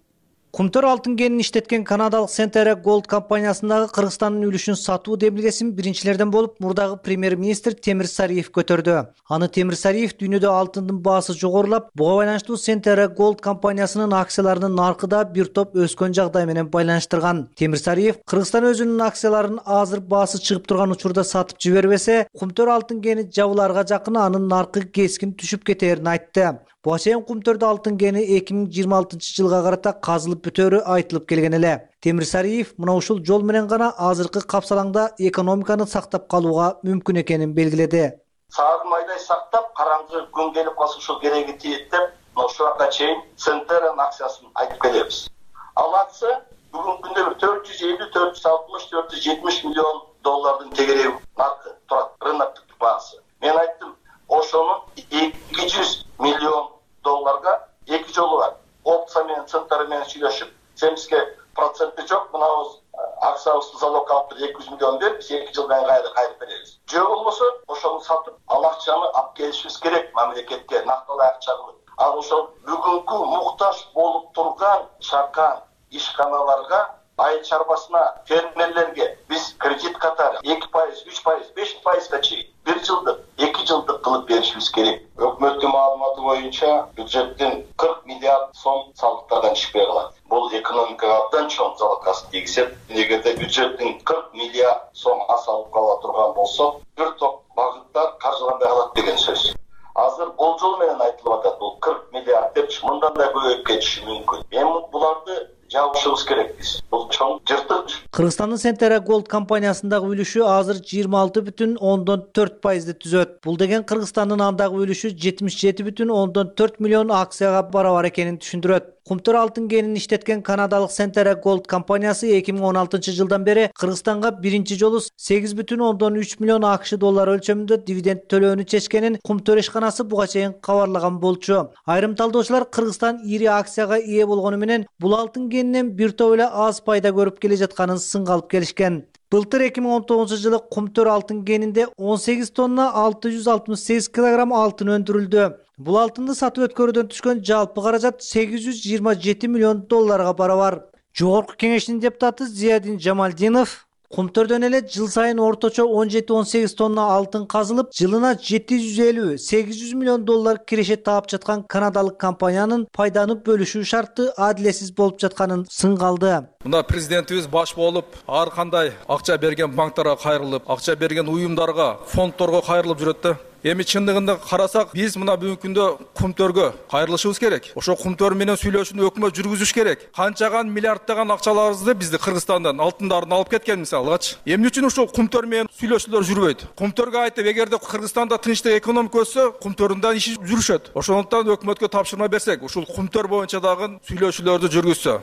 Кумтөр алтын кенин иштеткен канадалык Центр Голд компаниясындагы Кыргызстандын үлүшүн сатуу демилгесин биринчилерден болуп мурдагы премьер-министр Темир Сариев көтөрдү. Аны Темир Сариев дүйнөдө алтындын баасы жогорулап, буга байланыштуу Центр Голд компаниясынын акцияларынын наркы да бир топ өскөн жагдай менен байланыштырган. Темир Сариев Кыргызстан өзүнүн акцияларын азыр баасы чыгып турган учурда сатып жибербесе, Кумтөр алтын кени жабыларга жакын анын наркы кескин түшүп кетерин айтты. Буга чейин Кумтөрдө алтын кени 2026-жылга карата казылып бүтөрү айтылып келген эле. Темир Сариев мына ушул жол менен гана азыркы капсалаңда экономиканы сактап калууга мүмкүн экенин белгиледи. Сагын айдай сактап, караңгы күн келип калса ушул кереги тиет деп, ошол убакка чейин Центрнын акциясын айтып келебиз. Ал акция бүгүнкү күндө 450, 460, 470 миллион доллардын тегереги наркы турат, рыноктук баасы. Мен айттым, ошонун 200 миллион долларга эки жолу бар. Опция менен Центр менен сүйлөшүп, 70% жок, мынабыз акциябызды залог алып 200 миллион берип, 2 жылдан кайрып беребиз. Жок болбосо, ошону сатып, ал акчаны алып келишибиз керек мамлекетке, накталуу акча кылып. Ал ошол бүгүнкү муктаж болуп турган чакан ишканаларга, айыл чарбасына, фермерлерге биз кредит катары 2%, 3%, 5%га чейин 1 жылдык, 2 жылдык кылып беришибиз керек. Өкмөттүн маалыматы боюнча бюджеттен 40 миллиард сом салыктардан чыкпай калат. Бул экономикага абдан чоң залалкасын тийгизет. Эгерде бюджеттин 40 миллиард сом асалып кала турган болсо, бир топ багыттар каржыланбай калат деген сөз. Азыр болжол менен айтылып атат, бул 40 миллиард деп мындан да көбөйүп кетиши мүмкүн. Эми буларды жабышыбыз керекпиз. Бул чоң жыртык. Кыргызстандын Центр Голд компаниясындагы үлүшү азыр 26,4%ды түзөт. Бул деген Кыргызстандын андагы үлүшү 77,4 миллион акцияга барабар экенин түшүндүрөт. Кумтөр алтын кенин иштеткен канадалык Центр Голд компаниясы 2016-жылдан бери Кыргызстанга биринчи жолу 8,3 миллион акш доллары өлчөмүндө дивиденд төлөөнү чечкенин Кумтөр ишканасы буга чейин кабарлаган болчу. Айрым талдоочулар Кыргызстан ири акцияга ээ болгону менен бул алтын кенинен бир топ эле аз пайда көрүп келе жатканын сынга алып келишкен. Былтыр 2019-жылы Кумтөр алтын кенинде 18 тонна 668 килограмм алтын өндүрүлдү. Бул алтынды сатып өткөрүүдөн түшкөн жалпы каражат 827 миллион долларга барабар. Жогорку кеңештин депутаты Зиядин Жамалдинов Кумтөрдөн эле жыл сайын орточо 17-18 тонна алтын казылып, жылына 750-800 миллион доллар киреше таап жаткан канадалык компаниянын пайданы бөлүшүү шарты адилетсиз болуп жатканын сынга алды. Мына президентибиз баш болуп, ар кандай акча берген банктарга кайрылып, акча берген уюмдарга, фонддорго кайрылып жүрөт да. Эми чындыгында карасак, биз мына бүгүнкү күндө Кумтөргө кайрылышыбыз керек. Ошо Кумтөр менен сүйлөшүүнү өкмөт жүргүзүш керек. Канчаган миллиарддаган акчаларыбызды бизди Кыргызстандан алтындарын алып кеткен мисалгачы. Эмне үчүн ошо Кумтөр менен сүйлөшүүлөр жүрбөйт? Кумтөргө айтып, эгерде Кыргызстанда тынчтык экономика өссө, Кумтөрдүн иши жүрүшөт. Ошондуктан өкмөткө тапшырма берсек, ушул Кумтөр боюнча дагы сүйлөшүүлөрдү жүргүзсө.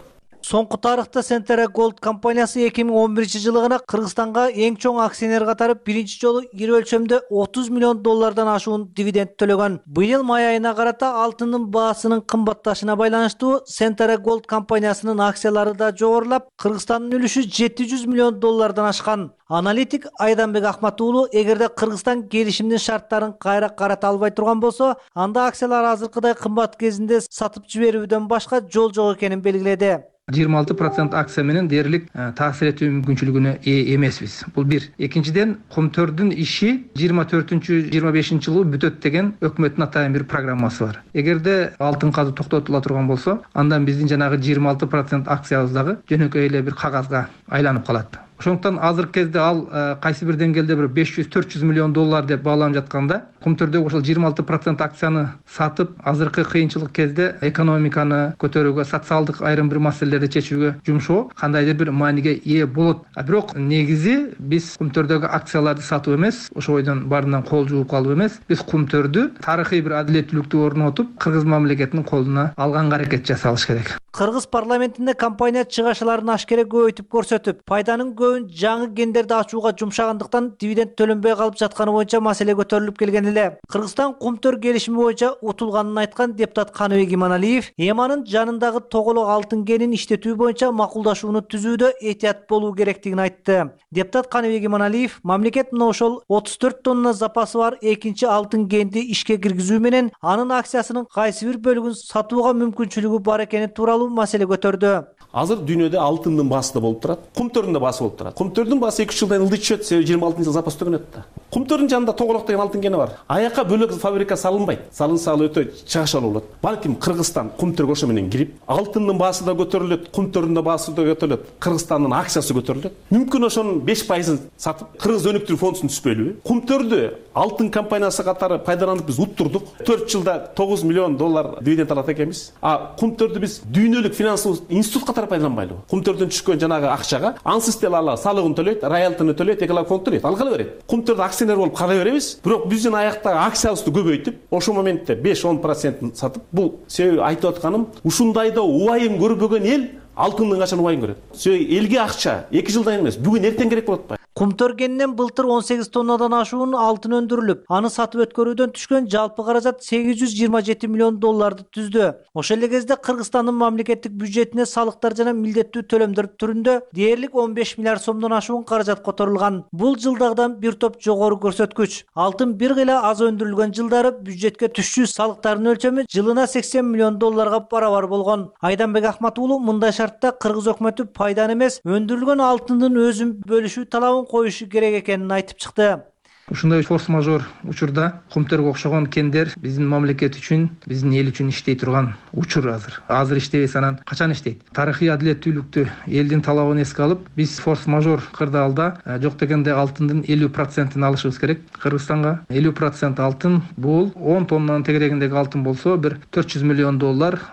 Соңку тарыхта Centera Gold компаниясы 2011-жылы гана Кыргызстанга эң чоң акционер катары биринчи жолу ири өлчөмдө $30 миллион ашуун дивиденд төлөгөн. Быйыл май айына карата алтындын баасынын кымбатташына байланыштуу Centera Gold компаниясынын акциялары да жогорулап, Кыргызстандын үлүшү $700 миллион ашкан. Аналитик Айданбек Ахмат уулу, эгерде Кыргызстан келишимдин шарттарын кайра карата албай турган болсо, анда акциялар азыркыдай кымбат кезинде сатып жиберүүдөн башка жол жок экенин белгиледи. 26% акция менен дээрлик таасир этүү мүмкүнчүлүгүнө ээ эмеспиз. Бул бир. Экинчиден, Кумтөрдүн иши 24-25 жылы бүтөт деген өкмөттүн атайын бир программасы бар. Эгерде алтын казуу токтотула турган болсо, андан биздин жанагы 26% акциябыз дагы жөнөкөй эле бир кагазга айланып калат. Ошондуктан азыркы кезде ал кайсы бир деңгээлде бир $500-400 миллион деп бааланып жатканда, Кумтөрдөгү ошол 26% акцияны сатып, азыркы кыйынчылык кезде экономиканы көтөрүүгө, социалдык айрым бир маселелерди чечүүгө жумшоо кандайдыр бир мааниге ээ болот. Бирок негизи биз Кумтөрдөгү акцияларды сатуу эмес, ошо ойдон баарынан кол жууп калуу эмес, биз Кумтөрдү тарыхый бир адилеттүүлүктү орнотуп, Кыргыз мамлекетинин колуна алганга аракет жасалыш керек. Кыргыз парламентинде компания чыгашаларын ашкере көбөйтүп көрсөтүп, пайданын көбүн жаңы гендерди ачууга жумшагандыктан дивиденд төлөнбөй калып жатканы боюнча маселе көтөрүлүп келген эле. Кыргызстан Кумтөр келишими боюнча утулганын айткан депутат Каныбек Иманалиев, Эманын жанындагы тоголок алтын кенин иштетүү боюнча макулдашууну түзүүдө этият болуу керектигин айтты. Депутат Каныбек Иманалиев мамлекет мына ошол 34 тонна запасы бар экинчи алтын кенди ишке киргизүү менен анын акциясынын кайсы бир бөлүгүн сатууга мүмкүнчүлүгү бар экени тууралуу маселе көтөрдү. Азыр дүйнөдө алтындын баасы да болуп турат, Кумтөрдүн да баасы болуп турат. Кумтөрдүн баасы 2-3 жылдан ылдый түшөт, себеби 26 жыл запас түгөнөт да. Кумтөрдүн жанында тоголок деген алтын кени бар. Аяка бөлөк фабрика салынбайт. Салынса ал өтө чыгашалуу болот. Балким Кыргызстан Кумтөргө ошо менен кирип, алтындын баасы да көтөрүлөт, Кумтөрдүн да баасы да көтөрүлөт, Кыргызстандын акциясы көтөрүлөт. Мүмкүн ошонун 5%-ын сатып, Кыргыз өнүктүрүү фондусун түзбөйлүбү? Кумтөрдү алтын компаниясы катары пайдаланып биз уттурдук. 4 жылда $9 миллион дивиденд алат экенбиз. А Кумтөрдү биз дүйнөлүк финансылык институт катары пайдаланбайлыбы? Кумтөрдөн түшкөн жанагы акчага ансыз деле ала салыгын төлөйт, роялтыны төлөйт, экологик фонд төлөйт. Ал кала берет. Кумтөрдө акционер болуп кала беребиз. Бирок биздин аяктагы акциябызды көбөйтүп, ошол моментте 5-10% сатып, бул себеби айтып атканым, ушундайда убайын көрбөгөн эл алтындын качан убайын көрөт. Себеби элге акча 2 жылдан эмес, бүгүн эртең керек болот. Кумтөр кенинен былтыр 18 тоннадан ашуун алтын өндүрүлүп, аны сатып өткөрүүдөн түшкөн жалпы каражат $827 миллион түздү. Ошол эле кезде Кыргызстандын мамлекеттик бюджетине салыктар жана милдеттүү төлөмдөр түрүндө дээрлик 15 миллиард сомдон ашуун каражат которулган. Бул жылдагыдан бир топ жогору көрсөткүч. Алтын бир кыйла аз өндүрүлгөн жылдары бюджетке түшчү салыктардын өлчөмү жылына $80 миллион барабар болгон. Айданбек Ахмат уулу мындай шартта Кыргыз өкмөтү пайданы эмес, өндүрүлгөн алтындын өзүн бөлүшүү талабын коюшу керек экенин айтып чыкты. Ушундай форс-мажор учурда Кумтөргө окшогон кендер биздин мамлекет үчүн, биздин эл үчүн иштей турган учур азыр. Азыр иштебесе анан качан иштейт? Тарыхый адилеттүүлүктү, элдин талабын эске алып, биз форс-мажор кырдаалда жок дегенде алтындын 50%-ын алышыбыз керек. Кыргызстанга 50% алтын, бул 10 тоннанын тегерегиндеги алтын болсо, бир $400 миллион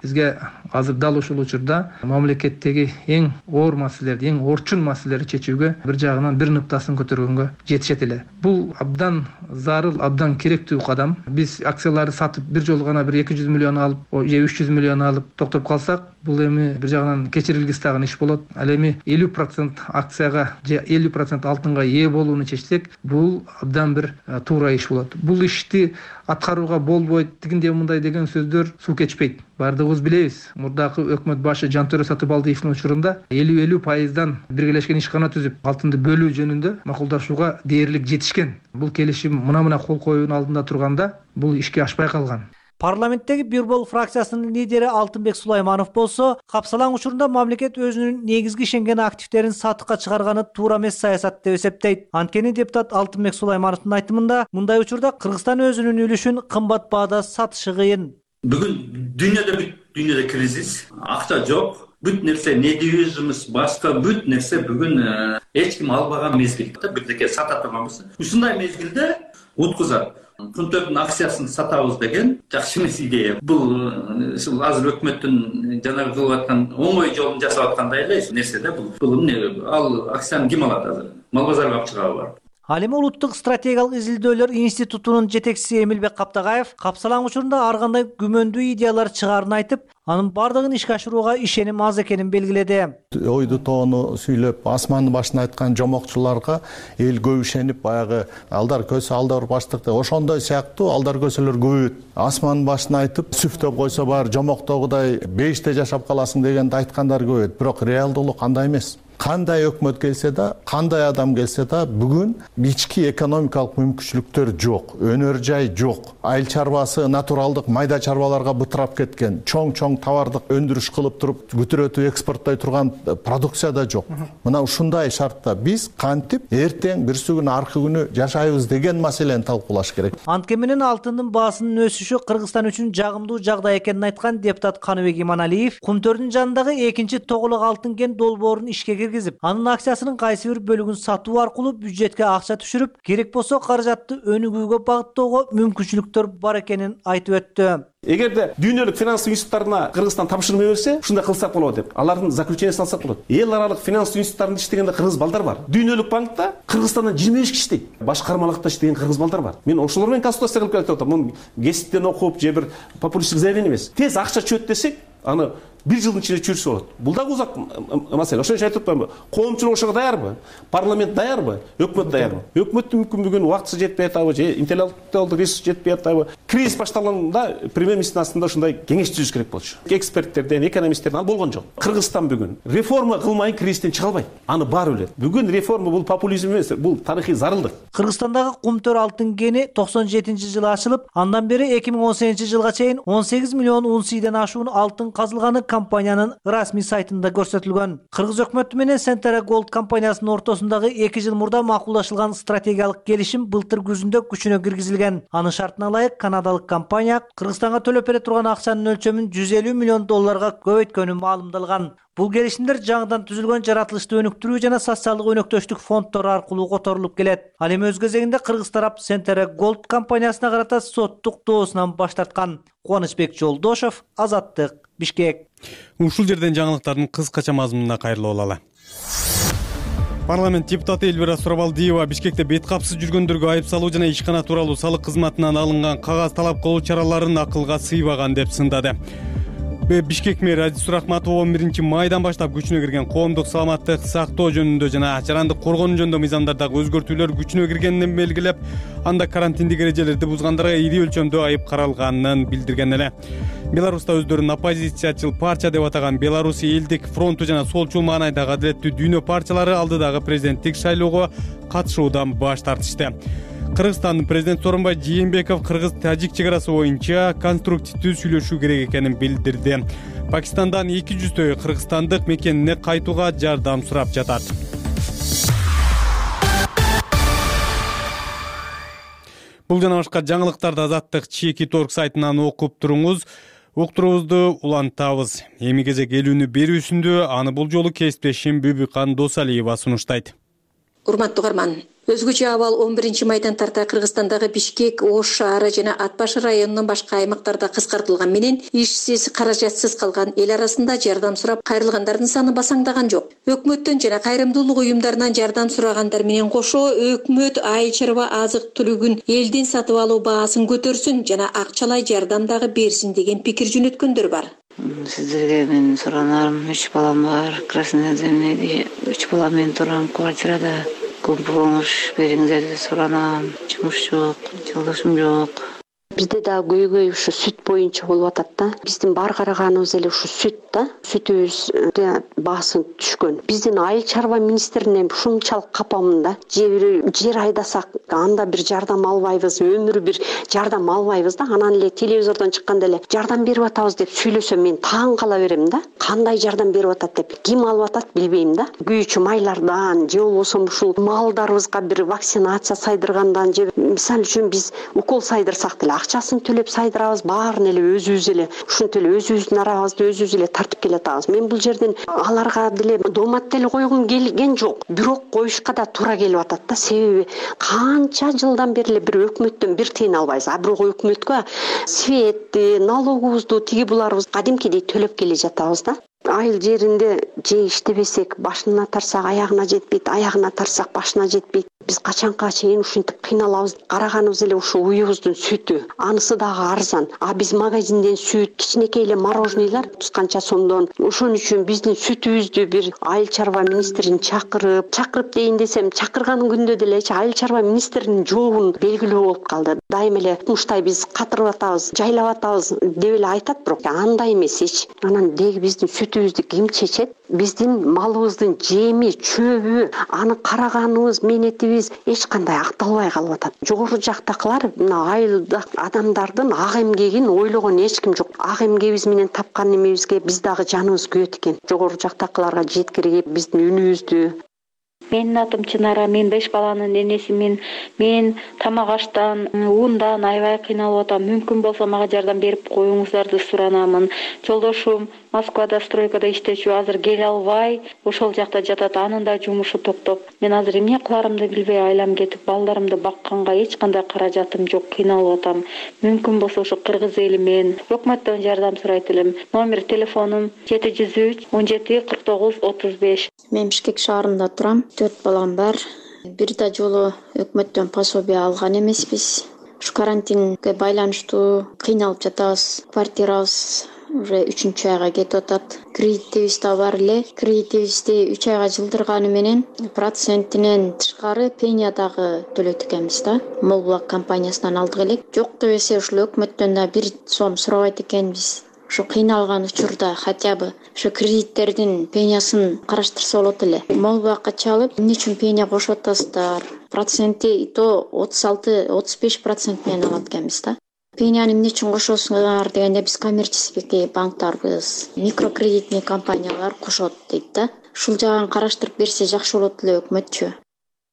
бизге азыр дал ушул учурда мамлекеттеги эң оор маселелерди, эң орчун маселелерди чечүүгө бир жагынан бир ныктасын көтөргөнгө жетишет эле. Бул абдан зарыл, абдан керектүү кадам. Биз акцияларды сатып бир жолу гана бир 200 миллион алып, же 300 миллион алып токтоп калсак, бул эми бир жагынан кечирилгис тагын иш болот. Ал эми 50% акцияга же 50% алтынга ээ болууну чечсек, бул абдан бир туура иш болот. Бул ишти аткарууга болбойт, тигиндей мындай деген сөздөр суу кечпейт. Бардыгыбыз билебиз, мурдакы өкмөт башы Жантөрө Сатыбалдиевдин учурунда 50% биргелешкен ишкана түзүп, алтынды бөлүү жөнүндө макулдашууга дээрлик жетишкен. Бул келишим мына кол коюунун алдында турганда, бул ишке ашпай калган. Парламенттеги Бир бол фракциясынын лидери Алтынбек Сулайманов болсо, капсалаң учурунда мамлекет өзүнүн негизги ишенген активдерин сатыкка чыгарганы туура эмес саясат деп эсептейт. Анткени депутат Алтынбек Сулаймановдун айтымында, мындай учурда Кыргызстан өзүнүн үлүшүн кымбат баада сатышы кыйын. Бүгүн дүйнөдө кризис, акча жок. Бүт нерсе недиюзумуз башка бүт нерсе бүгүн эч ким албаган мезгил. Бирдеке сата турганбыз. Ушундай мезгилде уткузат. Кумтөрдүн акциясын сатабыз деген жакшы эмес идея. Бул азыр өкмөттүн жанагы кылып аткан оңой жолун жасап аткандай эле нерсе да бул. Ал акцияны ким алат азыр? Мал базарга алып чыгабы бар. Ал эми Улуттук стратегиялык изилдөөлөр институтунун жетекчиси Эмилбек Каптагаев капсалаң учурунда ар кандай күмөндүү идеялар чыгаарын айтып, анын бардыгын ишке ашырууга ишеним аз экенин белгиледи. Ойду тоону сүйлөп, асмандын башына айткан жомокчуларга эл көп ишенип, баягы алдар көсө алдар баштыкты ошондой сыяктуу алдар көсөлөр көбөйөт. Асмандын башына айтып, сүфтөп койсо бар жомоктогудай 5-те жашап каласың дегенди айткандар көбөйөт. Бирок реалдуулук андай эмес. Кандай өкмөт келсе да, кандай адам келсе да, бүгүн ички экономикалык мүмкүнчүлүктөр жок, өнөр жай жок. Айыл чарбасы натуралдык майда чарбаларга бытырап кеткен, чоң товардык өндүрүш кылып туруп, бүтүрөтүп экспорттой турган продукция да жок. Мына ушундай шартта биз кантип эртең бирси күнү аркы күнү жашайбыз деген маселени талкуулаш керек. Анткени менен алтындын баасынын өсүшү Кыргызстан үчүн жагымдуу жагдай экенин айткан депутат Каныбек Иманалиев Кумтөрдүн жанындагы экинчи Тоголок алтын кен долбоорун ишке киргизип, анын акциясынын кайсы бир бөлүгүн сатуу аркылуу бюджетке акча түшүрүп, керек болсо каражатты өнүгүүгө багыттоого мүмкүнчүлүктөр бар экенин айтып өттү. Эгерде дүйнөлүк финанс институттарына Кыргызстан тапшырмай берсе, ушундай кылсак болот деп, алардын заключениясын алсак болот. Эл аралык финанс институттарында иштегенде кыргыз балдар бар. Дүйнөлүк банкта Кыргызстандан 25 киши иштейт. Башкармалыкта иштеген кыргыз балдар бар. Мен ошолор менен консультация кылып келип атам. Муну гезиттен окуп, же бир популисттик заявление эмес. Тез акча чөт десек, аны 1 жылдын ичинде чүрүшүп болот. Бул дагы узак маселе. Ошон үчүн айтып атпаймынбы? Коомчулук ошого даярбы? Парламент даярбы? Өкмөт даярбы? Өкмөттүн мүмкүндүгүн убактысы жетпей атабы, же интеллектуалдык ресурс жетпей атабы? Кризис башталганда премьер-министрдин астында ушундай кеңеш түзүш керек болчу. Эксперттерден, экономисттерден ал болгон жок. Кыргызстан бүгүн реформа кылмай кризистен чыга албайт. Аны баары билет. Бүгүн реформа бул популизм эмес, бул тарыхый зарылдык. Кыргызстандагы Кумтөр алтын кени 97-жылы ачылып, андан бери 2018-жылга чейин 18 миллион унцийден ашуун алтын казылганы компаниянын расмий сайтында көрсөтүлгөн. Кыргыз өкмөтү менен Centera Gold компаниясынын ортосундагы 2 жыл мурда макулдашылган стратегиялык келишим былтыр күзүндө күчүнө киргизилген. Анын шартына ылайык канадалык компания Кыргызстанга төлөп бере турган акчанын өлчөмүн 150 миллион долларга көбөйткөнү маалымдалган. Бул келишимдер жаңыдан түзүлгөн жаратылышты өнүктүрүү жана социалдык өнөктөштүк фонддору аркылуу которулуп келет. Ал эми өз кезегинде Кыргыз тарап Centera Gold компаниясына карата соттук доосунан баш тарткан. Кубанычбек Жолдошов, Азаттык, Бишкек. Ушул жерден жаңылыктардын кыскача мазмунуна кайрылып алалы. Парламент депутаты Эльвира Сурабалдиева Бишкекте бет капсыз жүргөндөргө айып салуу жана ишкана тууралуу салык кызматынан алынган кагаз талап кылуу чараларын акылга сыйбаган деп сындады. Бишкек мэри Азиз Рахматов 11 майдан баштап күчүнө кирген коомдук саламаттык сактоо жөнүндө жана жарандык коргонуу жөнүндө мыйзамдардагы өзгөртүүлөр күчүнө киргенин белгилеп, анда карантиндик эрежелерди бузгандарга ири өлчөмдө айып каралганын билдирген эле. Беларуста өздөрүн оппозициячыл партия деп атаган Беларусь элдик фронту жана солчул маанайдагы Адилеттүү дүйнө партиялары алдыдагы президенттик шайлоого катышуудан баш тартышты. Кыргызстандын президент Сооронбай Жээнбеков кыргыз-тажик чек арасы боюнча конструктивдүү сүйлөшүү керек экенин билдирди. Пакистандан 200 кыргызстандык мекенине кайтууга жардам сурап жатат. Бул жана башка жаңылыктарды Азаттык Чеки.org сайтынан окуп туруңуз. Уктуруубузду улантабыз. Эми кезек элүүнү берүүсүндө аны бул жолу кесиптешим Бүбүкан Досалиева сунуштайт. Урматтуу угарман, өзгөчө абал 11 майдан тарта Кыргызстандагы Бишкек, Ош шаары жана Ат Башы районунун башка аймактарда кыскартылган менен ишсиз, каражатсыз калган эл арасында жардам сурап кайрылгандардын саны басаңдаган жок. Өкмөттөн жана кайрымдуулук уюмдарынан жардам сурагандар менен кошо өкмөт айыл чарба азык-түлүгүн элден сатып алуу баасын көтөрсүн жана акчалай жардам дагы берсин деген пикир жөнөткөндөр бар. Сиздерге мен суранарым, 3 балам бар, красный земледе 3 балам менен турам квартирада. Көп помощь бериңиздер деп суранам. Жумуш жок, жолдошум жок. Бизде да көйгөй ушу сүт боюнча болуп атат да. Биздин бар караганыбыз эле ушу сүт да. Сүтүбүз баасы түшкөн. Биздин айыл чарба министринен ушунчалык капамын да. Жер айдасак анда бир жардам албайбыз, өмүрү бир жардам албайбыз да. Анан эле телевизордон чыкканда эле жардам берип атабыз деп сүйлөсөм мен таң кала берем да. Кандай жардам берип атат деп. Ким алып атат билбейм да. Күйүүчү майлардан же болбосо ушул малдарыбызга бир вакцинация сайдыргандан же мисалы үчүн биз укол сайдырсак деле акчасын төлөп сайдырабыз, баарын эле өзүбүз эле ушинтип эле өзүбүздүн арабызды өзүбүз эле тартып келатабыз. Мен бул жерден аларга деле доомат деле койгум келген жок, бирок коюшка да туура келип атат да. Себеби канча жылдан бери эле бир өкмөттөн бир тыйын албайбыз. А бирок өкмөткө светти, налогубузду тиги буларыбыз кадимкидей төлөп келе жатабыз да. айыл жеринде же иштебесек башына тарсак аягына жетпейт, аягына тарсак башына жетпейт. Биз качанга чейин ушинтип кыйналабыз? Караганыбыз эле ушу уюбуздун сүтү. Анысы дагы арзан. А биз магазинден сүт, кичинекей эле мороженыйлар 30 канча сомдон. Ошон үчүн биздин сүтүбүздү бир айыл чарба министрин чакырып дейин десем, чакырган күндө деле айыл чарба министринин жообун белгилүү болуп калды. Дайым эле муштай биз катырып атабыз, жайлап атабыз деп эле айтат, бирок андай эмес эч. Анан деги биздин сүтүбүздү ким чечет? Биздин малыбыздын жеми, чөбү, аны караганыбыз, менетибиз эч кандай акталбай калып атат. Жогору жактакылар мына айылда адамдардын ак эмгегин ойлогон эч ким жок. Ак эмгегибиз менен тапкан немебизге биз дагы жаныбыз күйөт экен. Жогору жактакыларга жеткиргип биздин үнүбүздү. Менин атым Чынара, мен 5 баланын энесимин. Мен тамак аштан, ундан аябай кыйналып атам. Мүмкүн болсо мага жардам берип коюңуздарды суранамын. Жолдошум Москвада стройкада иштечү, азыр келе албай, ошол жакта жатат. Анын да жумушу токтоп. Мен азыр эмне кыларымды билбей айлам кетип, балдарымды бакканга эч кандай каражатым жок, кыйналып атам. Мүмкүн болсо ошо кыргыз эли мен өкмөттөн жардам сурайт элем. Номер телефонум 703 17 49 35. Мен Бишкек шаарында турам. 4 балам бар. Бир да жолу өкмөттөн пособие алган эмеспиз. Ушу карантинге байланыштуу кыйналып жатабыз. Квартирабыз уже 3-чү айга кетип атат. Кредитибиз да бар эле. Кредитибизди 3 айга жылдырганы менен процентинен тышкары пеня дагы төлөйт экенбиз да. Молбулак компаниясынан алдык элек. Жок дебесе ушул өкмөттөн да 1 сом сурабайт экенбиз. Ушу кыйналган учурда хотя бы ушу кредиттердин пенясын караштырса болот эле. Молбакка чалып, эмне үчүн пеня кошуп атасыздар? Проценти и то 36-35% менен алат экенбиз да. Пеняны эмне үчүн кошосуңар дегенде биз коммерческий банктарбыз, микрокредитный компаниялар кошот дейт да. Ушул жагын караштырып берсе жакшы болот эле өкмөтчү.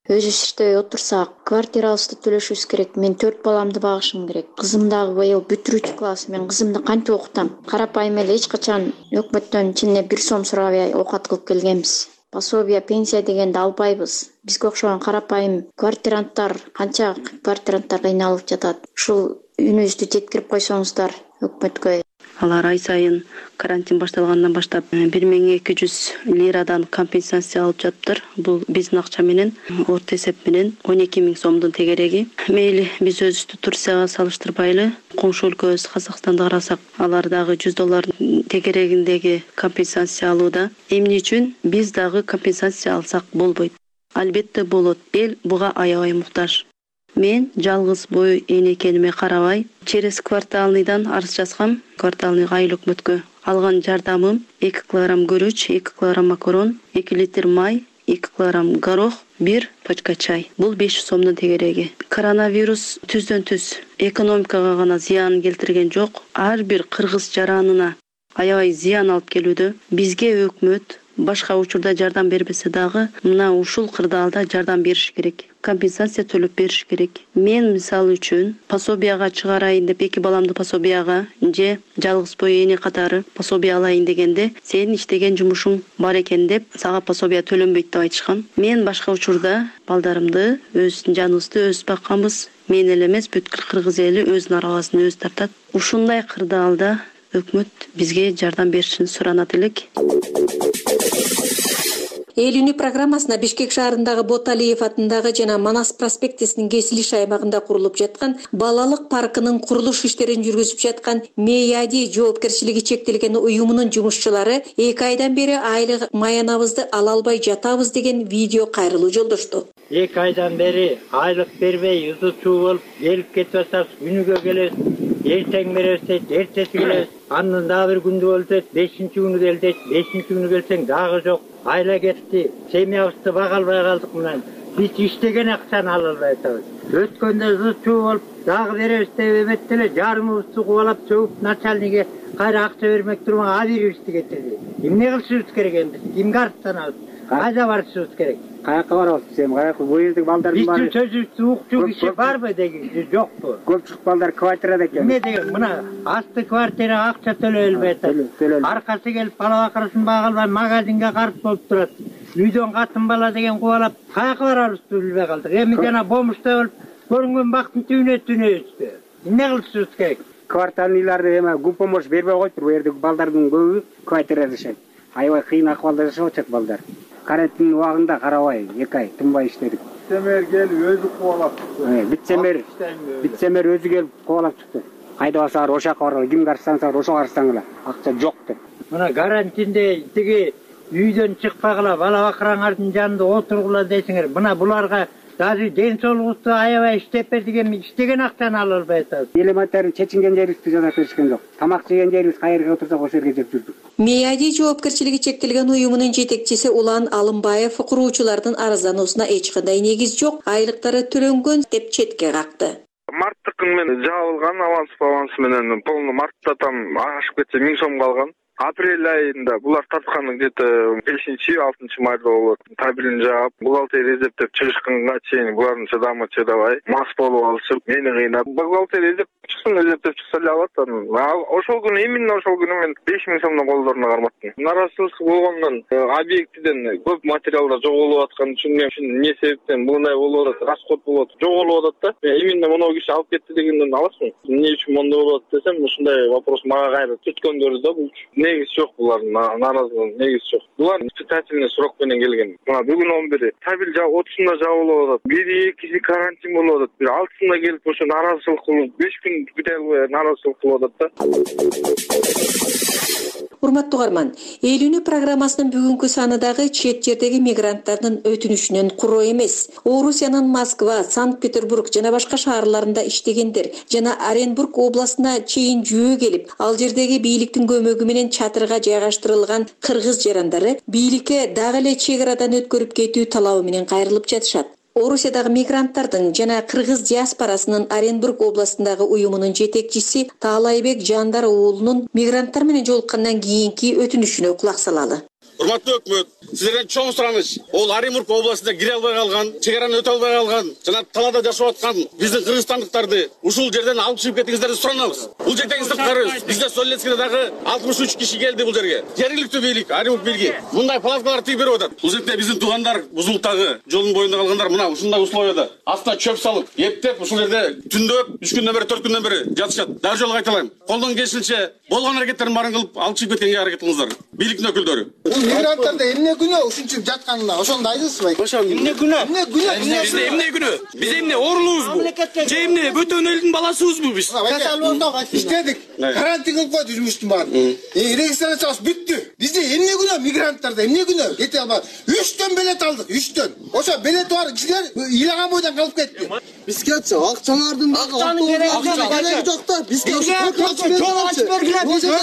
Өзүбүз иштебей отурсак, квартирабызды төлөшүбүз керек. Мен 4 баламды багышым керек. Кызым дагы быйыл бүтүрүүчү класс. Мен кызымды кантип окутам? Карапайым эле эч качан өкмөттөн чынне 1 сом сурабай окат кылып келгенбиз. Пособие, пенсия дегенди албайбыз. Бизге окшогон карапайым квартиранттар, канча квартиранттар кыйналып жатат. Ушул үнүбүздү жеткирип койсоңуздар өкмөткө. Алар ай сайын карантин башталгандан баштап 1200 лирадан компенсация алып жатыптыр. Бул биздин акча менен, орто эсеп менен 12 000 сомдун тегереги. Мейли биз өзүбүздү Турцияга салыштырбайлы, коңшу өлкөбүз Казакстанды карасак, алар дагы $100 тегерегиндеги компенсация алууда. Эмне үчүн биз дагы компенсация алсак болбойт? Албетте болот. Эл буга аябай муктаж. Мен жалгыз бой эне экениме карабай, через кварталныйдан арыз жазгам, кварталный айыл өкмөткө. Алган жардамым 2 килограмм күрүч, 2 килограмм макарон, 2 литр май, 2 килограмм горох, 1 пачка чай. Бул 500 сомдун тегереги. Коронавирус түздөн-түз экономикага гана зыян келтирген жок, ар бир кыргыз жаранына аябай зыян алып келүүдө. Бизге өкмөт башка учурда жардам бербесе дагы, мына ушул кырдаалда жардам бериш керек. Компенсация төлөп бериш керек. Мен мисалы үчүн пособияга чыгарайын деп 2 баламды пособияга же жалгыз бой эне катары пособия алайын дегенде, сенин иштеген жумушуң бар экен деп сага пособия төлөнбөйт деп айтышкан. Мен башка учурда балдарымды, өздүн жаныбызды өз бакканбыз. Мен эле эмес, бүткүл кыргыз эли өзүнүн араласын өзү тартат. Ушундай кырдаалда өкмөт бизге жардам беришин суранат элек. Эл үнү программасына Бишкек шаарындагы Боталиев атындагы жана Манас проспектисинин кесилиш аймагында курулуп жаткан балалык паркынын курулуш иштерин жүргүзүп жаткан Мейади жоопкерчилиги чектелген уюмунун жумушчулары 2 айдан бери айлык маянабызды ала албай жатабыз деген видео кайрылуу жолдошту. 2 айдан бери айлык бербей, ызы-чуу болуп келип кетип атабыз, күнүгө келебиз. Эртең беребиз, эртеси келебиз. Андан дагы бир күндө болсот, 5-чи күнү келдик, 5-чи күнү келсең дагы жок. Айла кетти. Семьябызды бага албай калдык менен. Биз иштеген акчаны ала албай атабыз. Өткөндө ызы-чуу болуп, дагы беребиз деп эметти, жарымыбызды кубалап чөгүп начальниге кайра акча бермек турган абирибизди кетирди. Эмне кылышыбыз керек эми? Кимге арызданабыз? Кайда барышыбыз керек? Каяка барабыз сен? Каяка бу жердеги балдардын баары? Биздин сөзүбүздү укчу киши барбы деген жокпу? Көпчүлүк балдар квартирада экен. Эмне деген мына асты квартирага акча төлөй албай атат. Аркасы келип бала бакырасын бага албай магазинге карып болуп турат. Үйдөн катын бала деген кубалап каяка барабызды билбей калдык. Эми жана бомушта болуп көрүнгөн бактын түбүнө түнөбүзбү? Эмне кылышыбыз керек? Кварталныйларды эме гупомош бербей коюптур. Бу жердеги балдардын көбү квартирада жашайт. аябай кыйын акыбалда жашап атышат балдар. Карантин убагында карабай 2 ай тынбай иштедик. Вице-мэр келип өзү кубалап чыкты. Вице-мэр өзү келип кубалап чыкты. Кайда барсаңар ошол жака баргыла, кимге арызсаңар ошого арызсаңар. Акча жок деп. Мына карантинде тиги үйдөн чыкпагыла, бала бакыраңардын жанында отургула десеңер, мына буларга даже ден соолугубузду аябай иштеп бердик, эми иштеген акчаны ала албай атабыз. Элементарный чечинген жерибизди жасап беришкен жок. Тамак жеген жерибиз кайерге отурсак ошол жерге жеп жүрдүк. МИАДИ жоопкерчилиги чектелген уюмунун жетекчиси Улан Алымбаев куруучулардын арыздануусуна эч кандай негиз жок, айлыктары төлөнгөн деп четке какты. Марттыкын мен жабылган аванс менен полный мартта там ашып кетсе 1000 сом калган. Апрель айында булар тартканы где-то 5-6 майда болот. Табилин жаап, бухгалтерия эзептеп чыгышканга чейин булардын чыдамы чыдабай, мас болуп алышып, мени кыйнап, бухгалтерия эзептеп чыкса эле алат. Ошол күнү, именно ошол күнү мен 5000 сомдон колдоруна карматтым. Наразычылык болгондон объектиден көп материалдар жоголуп аткан үчүн мен эмне себептен мындай болуп атат, расход болуп атат, жоголуп атат да. Именно мону киши алып кетти дегенден аласың. Эмне үчүн мондой болуп атат десем, ушундай вопрос мага кайра түткөндөрү да бул. Негиз жок булардын наразылыгы, негиз жок. Булар испытательный срок менен келген. Мына бүгүн 11 табил 30-да жабылып атат. Бири экиси карантин болуп атат. Бир 6-сында келип ошо наразылык кылып 5 күн күтө албай наразылык кылып атат да. Урматтуу угарман, эл үнү программасынын бүгүнкү саны дагы чет жердеги мигранттардын өтүнүшүнөн куроо эмес. Орусиянын Москва, Санкт-Петербург жана башка шаарларында иштегендер жана Оренбург областына чейин жөө келип, ал жердеги бийликтин көмөгү менен чатырга жайгаштырылган кыргыз жарандары бийликке дагы эле чек арадан өткөрүп кетүү талабы менен кайрылып жатышат. Орусиядагы мигранттардын жана кыргыз диаспорасынын Оренбург областындагы уюмунун жетекчиси Таалайбек Жандар уулунун мигранттар менен жолуккандан кийинки өтүнүшүнө кулак салалы. Урматтуу өкмөт, сиздерден чоң сураныч. Ол Оренбург областында кире албай калган, чек араны өтө албай калган, жана талаада жашап аткан биздин кыргызстандыктарды ушул жерден алып чыгып кетиңиздерди суранабыз. Бул жердеги сырткары бизде Солецкиде дагы 63 киши келди бул жерге. Жергиликтүү бийлик, Оренбург бийлиги мындай палаткалар тигип берип атат. Бул жерде биздин туугандар Бузулуктагы жолдун боюнда калгандар мына ушундай условияда астына чөп салып, эптеп ушул жерде түндөп 3 күндөн бери 4 күндөн бери жатышат. Дагы жолу кайталайм. Колдон келишинче болгон аракеттерин баарын кылып алып чыгып кеткенге аракет кылыңыздар. Бийликтин өкүлдөрү. Мигранттарда эмне күнөө ушунча жатканына ошону айтасызбы? Эмне күнөө? Бизде эмне күнөө? Биз эмне оорулуубузбу? Же эмне бөтөн элдин баласыбызбы биз? Иштедик. Карантин кылып койду жумуштун баарын. Регистрациябыз бүттү. Бизде эмне күнөө мигранттарда? Эмне күнөө? Кете албады. 3төн билет алдык, 3төн. Ошо билет бар кишилер ыйлаган бойдон калып кетти. Бизгечи акчалардын акчанын кереги жок да. Бизге ошо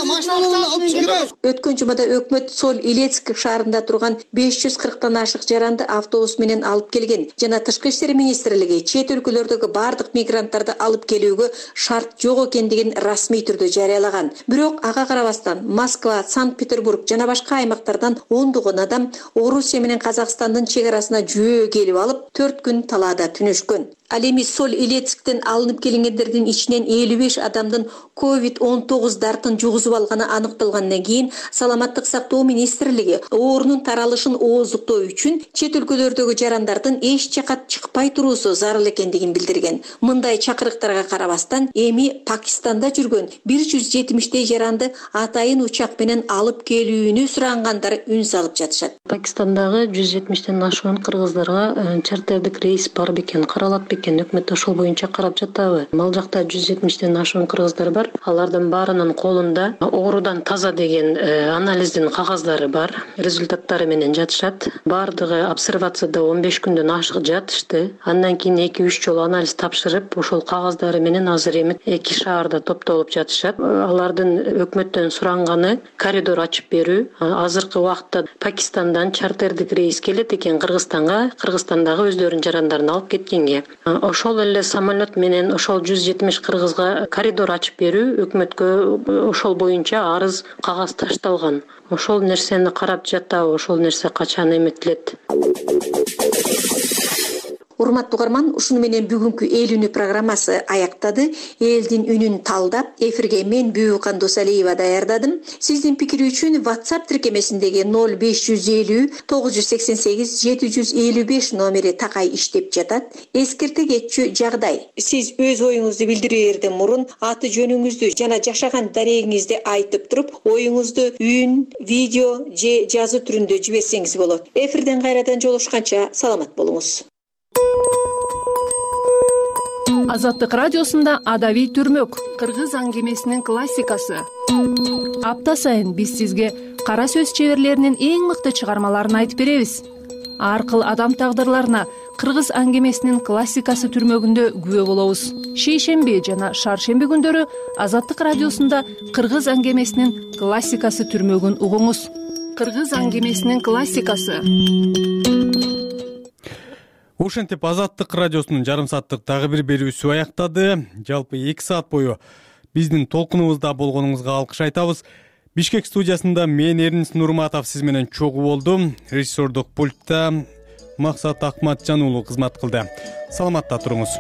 машиналарды алып чыгып. Өткөн жумада өкмөт Соль Илецк шаарында турган 540тан ашык жаранды автобус менен алып келген жана Тышкы иштер министрлиги чет өлкөлөрдөгү бардык мигранттарды алып келүүгө шарт жок экендигин расмий түрдө жарыялаган. Бирок ага карабастан Москва, Санкт-Петербург жана башка аймактардан ондогон адам Орусия менен Казакстандын чек арасына жөө келип алып 4 күн талаада түнөшкөн. Ал эми Соль Илецктен алынып келгендердин ичинен 55 адамдын COVID-19 дартын жугузуп алганы аныкталгандан кийин Саламаттык сактоо министрлиги оорунун таралышын ооздуктоо үчүн чет өлкөлөрдөгү жарандардын эч жака чыкпай туруусу зарыл экендигин билдирген. Мындай чакырыктарга карабастан эми Пакистанда жүргөн 170 жаранды атайын учак менен алып келүүнү сурангандар үн салып жатышат. Пакистандагы 170тен ашуун кыргыздарга чартердик рейс бар бекен, каралат бекен, өкмөт ошол боюнча карап жатабы? Ал жакта 170тен ашуун кыргыздар бар. Алардын баарынын колунда оорудан таза деген анализдин кагаздары бар. Результаттары менен жатышат. Бардыгы обсервацияда 15 күндөн ашык жатышты. Андан кийин 2-3 жолу анализ тапшырып, ошол кагаздары менен азыр эми 2 шаарда топтолуп жатышат. Алардын өкмөттөн суранганы коридор ачып берүү. Азыркы убакытта Пакистандан чартердик рейс келет экен Кыргызстанга, Кыргызстандагы өздөрүнүн жарандарын алып кеткенге. Ошол эле самолет менен ошол 170 кыргызга коридор ачып берүү өкмөткө ошол боюнча арыз кагаз ташталган. Ошол нерсени карап жатабы, ошол нерсе качан эметилет? урматтуу угарман, ушуну менен бүгүнкү эл үнү программасы аяктады. Элдин үнүн талдап эфирге мен Бүүкан Досалиева даярдадым. Сиздин пикир үчүн WhatsApp тиркемесиндеги 0550 988 755 номери такай иштеп жатат. Эскерте кетчү жагдай. Сиз өз оюңузду билдирээрден мурун аты жөнүңүздү жана жашаган дарегиңизди айтып туруп, оюңузду үн, видео же жазуу түрүндө жиберсеңиз болот. Эфирден кайрадан жолугушканча саламат болуңуз. Азаттык радиосунда Адави түрмөк, кыргыз аңгемесинин классикасы. Апта сайын биз сизге кара сөз чеберлеринин эң мыкты чыгармаларын айтып беребиз. Ар кыл адам тагдырларына кыргыз аңгемесинин классикасы түрмөгүндө күбө болобуз. Шейшемби жана шаршемби күндөрү Азаттык радиосунда кыргыз аңгемесинин классикасы түрмөгүн угуңуз. Кыргыз аңгемесинин классикасы. Ошентип Азаттык радиосунун жарым сааттык дагы бир берүүсү аяктады. Жалпы 2 саат бою биздин толкунубузда болгонуңузга алкыш айтабыз. Бишкек студиясында мен Эрнис Нурматов сиз менен чогуу болдум. Режиссердук пультта Максат Акматжан уулу кызмат кылды. Саламатта туруңуз.